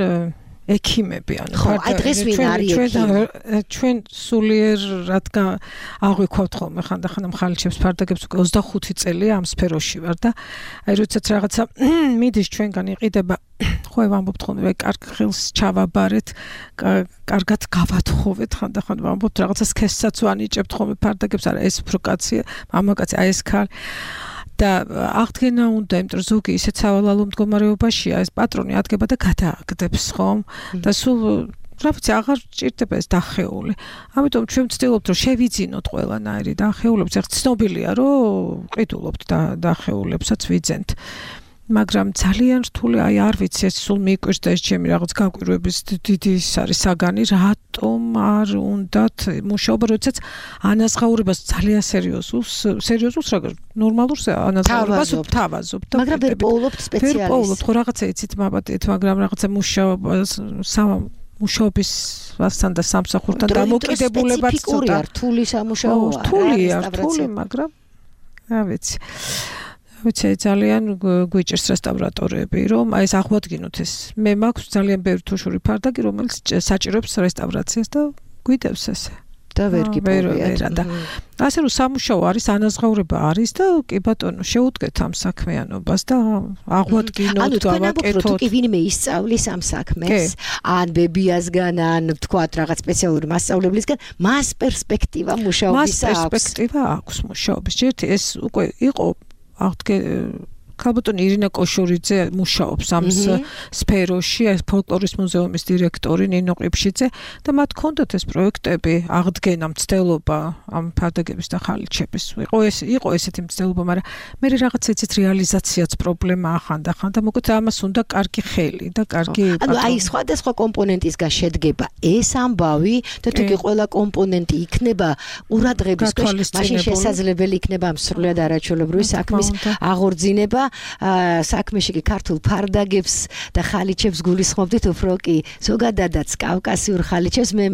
ექიმები, ანუ ხო, აი დღეს ვინ არის ექიმი? ჩვენ სულიერ რადგან აღვიქვავთ ხოლმე ხანდახან მხალჩებს ფარდაგებს უკვე 25 წელია ამ სფეროში ვარ და აი როდესაც რაღაცა მიდის ჩვენგან იყიდება ხო ვამბობთ ხოლმე კარგ ხელს ჩავაბარეთ, კარგად გავათხოვეთ ხანდახან ვამბობთ რაღაცა სქესსაც ვანიჭებთ ხოლმე ფარდაგებს, არა ეს უფრო კაცია, მამაკაცი, აი ეს ქალი და აღდგენა უნდა, იმიტომ რომ ზოგი ისეთ სავალალო მდგომარეობაშია, ეს პატრონი ადგება და გადააგდებს ხომ და სულ რა ვიცი აღარ ჭირდება ეს დახეული. ამიტომ ჩვენ ვცდილობთ რომ შევიძინოთ ყველანაირი დახეულებს, ერთ ცნობილია რომ ყიდულობთ დახეულებსაც ვიძენთ. მაგრამ ძალიან რთული, აი არ ვიცი, ეს სულ მიკვირს და ეს ჩემი რაღაც გაკვირვების დიდი ის არის საგანი, რატომ არ უნდათ მუშაობა, როდესაც ანაზღაურებას ძალიან სერიოზულს რა ნორმალურს ანაზღაურებას ვთავაზობ და მაგრამ ვერ პოულობთ სპეციალისტს. ვერ პოულობთ, ხო რაღაცა იცით მაბატეთ, მაგრამ რაღაცა მუშაობისთან და სამსახურთან დამოკიდებულებაც ცოტა რთული სამუშაოა. რთული, მაგრამ რა ვიცი. ვიცი ძალიან გვიჭერს რესტავრატორები, რომ აი ეს აღვადგინოთ ეს. მე მაქვს ძალიან ბევრი თუშური ფარდაგი, რომელიც საჭიროებს რესტავრაციას და გვიდევს ესე. და ვერ გიპოვიათ. და ასე რომ სამუშაო არის, ანაზღაურება არის და კი ბატონო, შეუდგეთ ამ საქმიანობას და აღვადგინოთ, გავაკეთოთ. თუ კი ვინმე ისწავლის ამ საქმეს, ან ბებიასგან, ან თქვათ რაღაც სპეციალური მასწავლებლისგან, მას პერსპექტივა მუშაობის აქვს. მას პერსპექტივა აქვს მუშაობის. ჯერთ ეს უკვე იყო ქალბატონი ირინა კოშურიძე მუშაობს ამ სფეროში, ეს ფოლკლორის მუზეუმის დირექტორი ნინო ყიფშიძე და მათ ჰქონდათ ეს პროექტები, აღდგენა, მცდელობა ამ ფარდაგების და ხალიჩების. იყო ესეთი მცდელობა, მაგრამ მე რაღაც ეცეთ რეალიზაციაც პრობლემა ახანდახან და მოკლედ ამას უნდა კარგი ხელი და კარგი ანუ აი სხვადასხვა კომპონენტისგან შედგება ეს ამბავი და თუ კი ყველა კომპონენტი იქნება ყურადღების ქვეშ, მაშინ შესაძლებელი იქნება ამ სრულად არაჩვეულებრივი საქმის აღორძინება. საქმეში კი ქართულ ფარდაგებს და ხალიჩებს გულისხმობდით უფრო კი ზოგადადაც კავკასიურ ხალიჩებს მე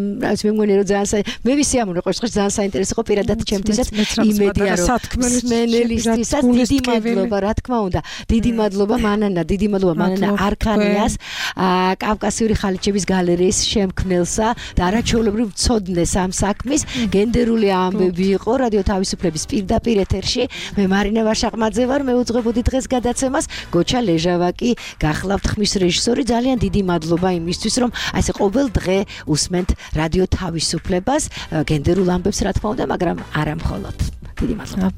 მგონი რომ ძალიან მე ვისიამოვნე ყოველთვის ძალიან საინტერესო იყო პირადად ჩემთვისაც იმედია რომ სმენელისტვისაც დიდი მადლობა რა თქმა უნდა დიდი მადლობა მანანა არქანიას კავკასიური ხალიჩების გალერეის შემქმნელსა და არაჩვეულებრივ მცოდნეს ამ საქმის გენდერული ამბები იყო რადიო თავისუფლების პირდაპირ ეთერში მე მარინა ვაშაყმაძე ვარ მე უძღვებოდი დღეს გადაცემას გოჩა ლეჟავაკი გახლავთ ხმის რეჟისორი ძალიან დიდი მადლობა იმისთვის რომ ასე ყოველ დღე უსმენთ რადიო თავისუფლებას გენდერულ ამბებს რა თქმა უნდა მაგრამ არა მხოლოდ დიდი მადლობა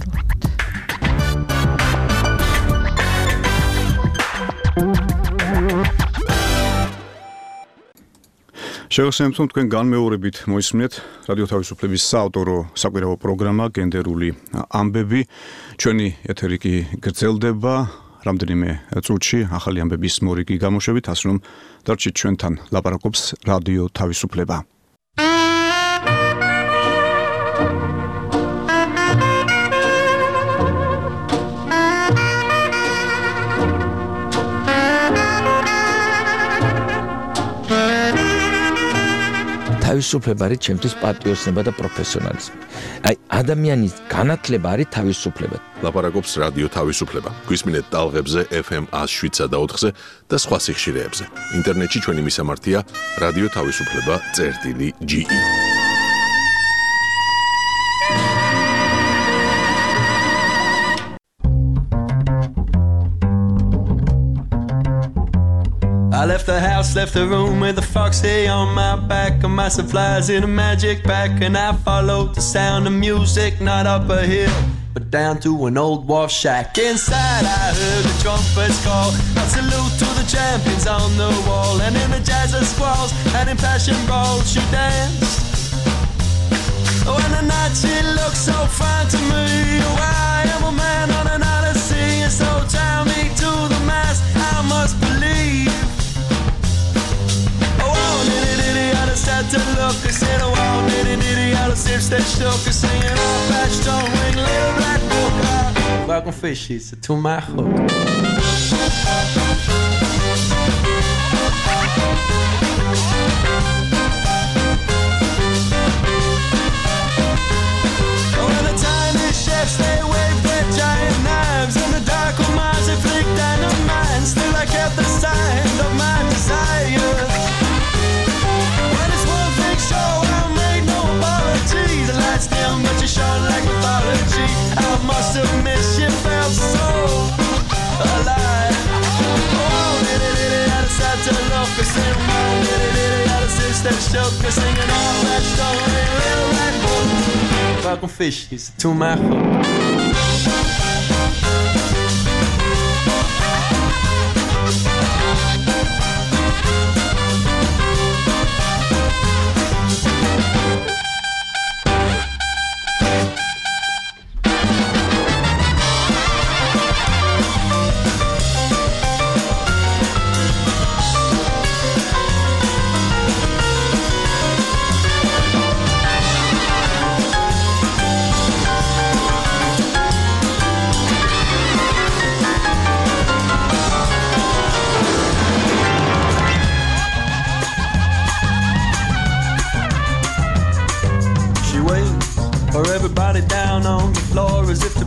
შევასრულებთ თქვენ განმეორებით მოისმინეთ რადიო თავისუფლების საავტორო საკვირაო პროგრამა გენდერული ამბები ჩვენი ეთერი კი გრძელდება რამდენიმე წუთში ახალი ამბების მორიგი გამოშვებით ასე რომ დარჩით ჩვენთან ლაპარაკობს რადიო თავისუფლება თავისუფლება არის ჩემთვის პატრიოტიზმი და პროფესიონალიზმი. აი ადამიანის განათლება არის თავისუფლება. ლაპარაკობს რადიო თავისუფლება. გვისმინეთ ტალღებზე FM 107 და 4-ზე და სხვა სიხშირეებზე. ინტერნეტში ჩვენი მისამართია რადიო თავისუფლება.ge. I left the house, left the room with a foxy on my back and massive flies in a magic pack and I followed the sound of music not up a hill but down to an old wharf shack. Inside I heard the trumpets call a salute to the champions on the wall and in the jazz of squalls and in passion brawls she danced. Oh, and the night she looked so fine to me. Oh, I am a man on an odyssey and so tie me to the mast I must believe. Had to look, I said, oh, wow, nitty, I was here, stay shook, singing all flash, don't ring, little black book. Welcome fishies to my hook. Oh, and the tiny chefs, they waved their giant knives, and the dark ones, they flicked dynamite. Still I kept the sign of my desire. stay shook, singing all that story, little red book. Fucking fish, he's to my hook.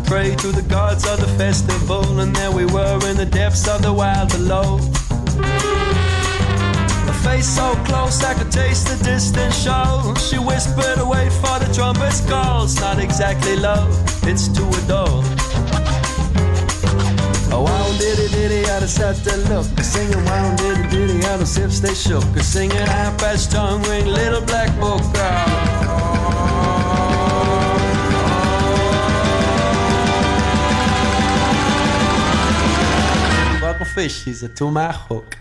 Pray to the gods of the festival, and there we were in the depths of the wild below. A face so close I could taste the distant show. She whispered, wait for the trumpet's call. It's not exactly love, it's to adore. Oh, wow, diddy, out of set to look. Singing, wow, diddy, out of sips they shook. Singing, half-patch tongue ring, little black book. Fish, he's a to my hook.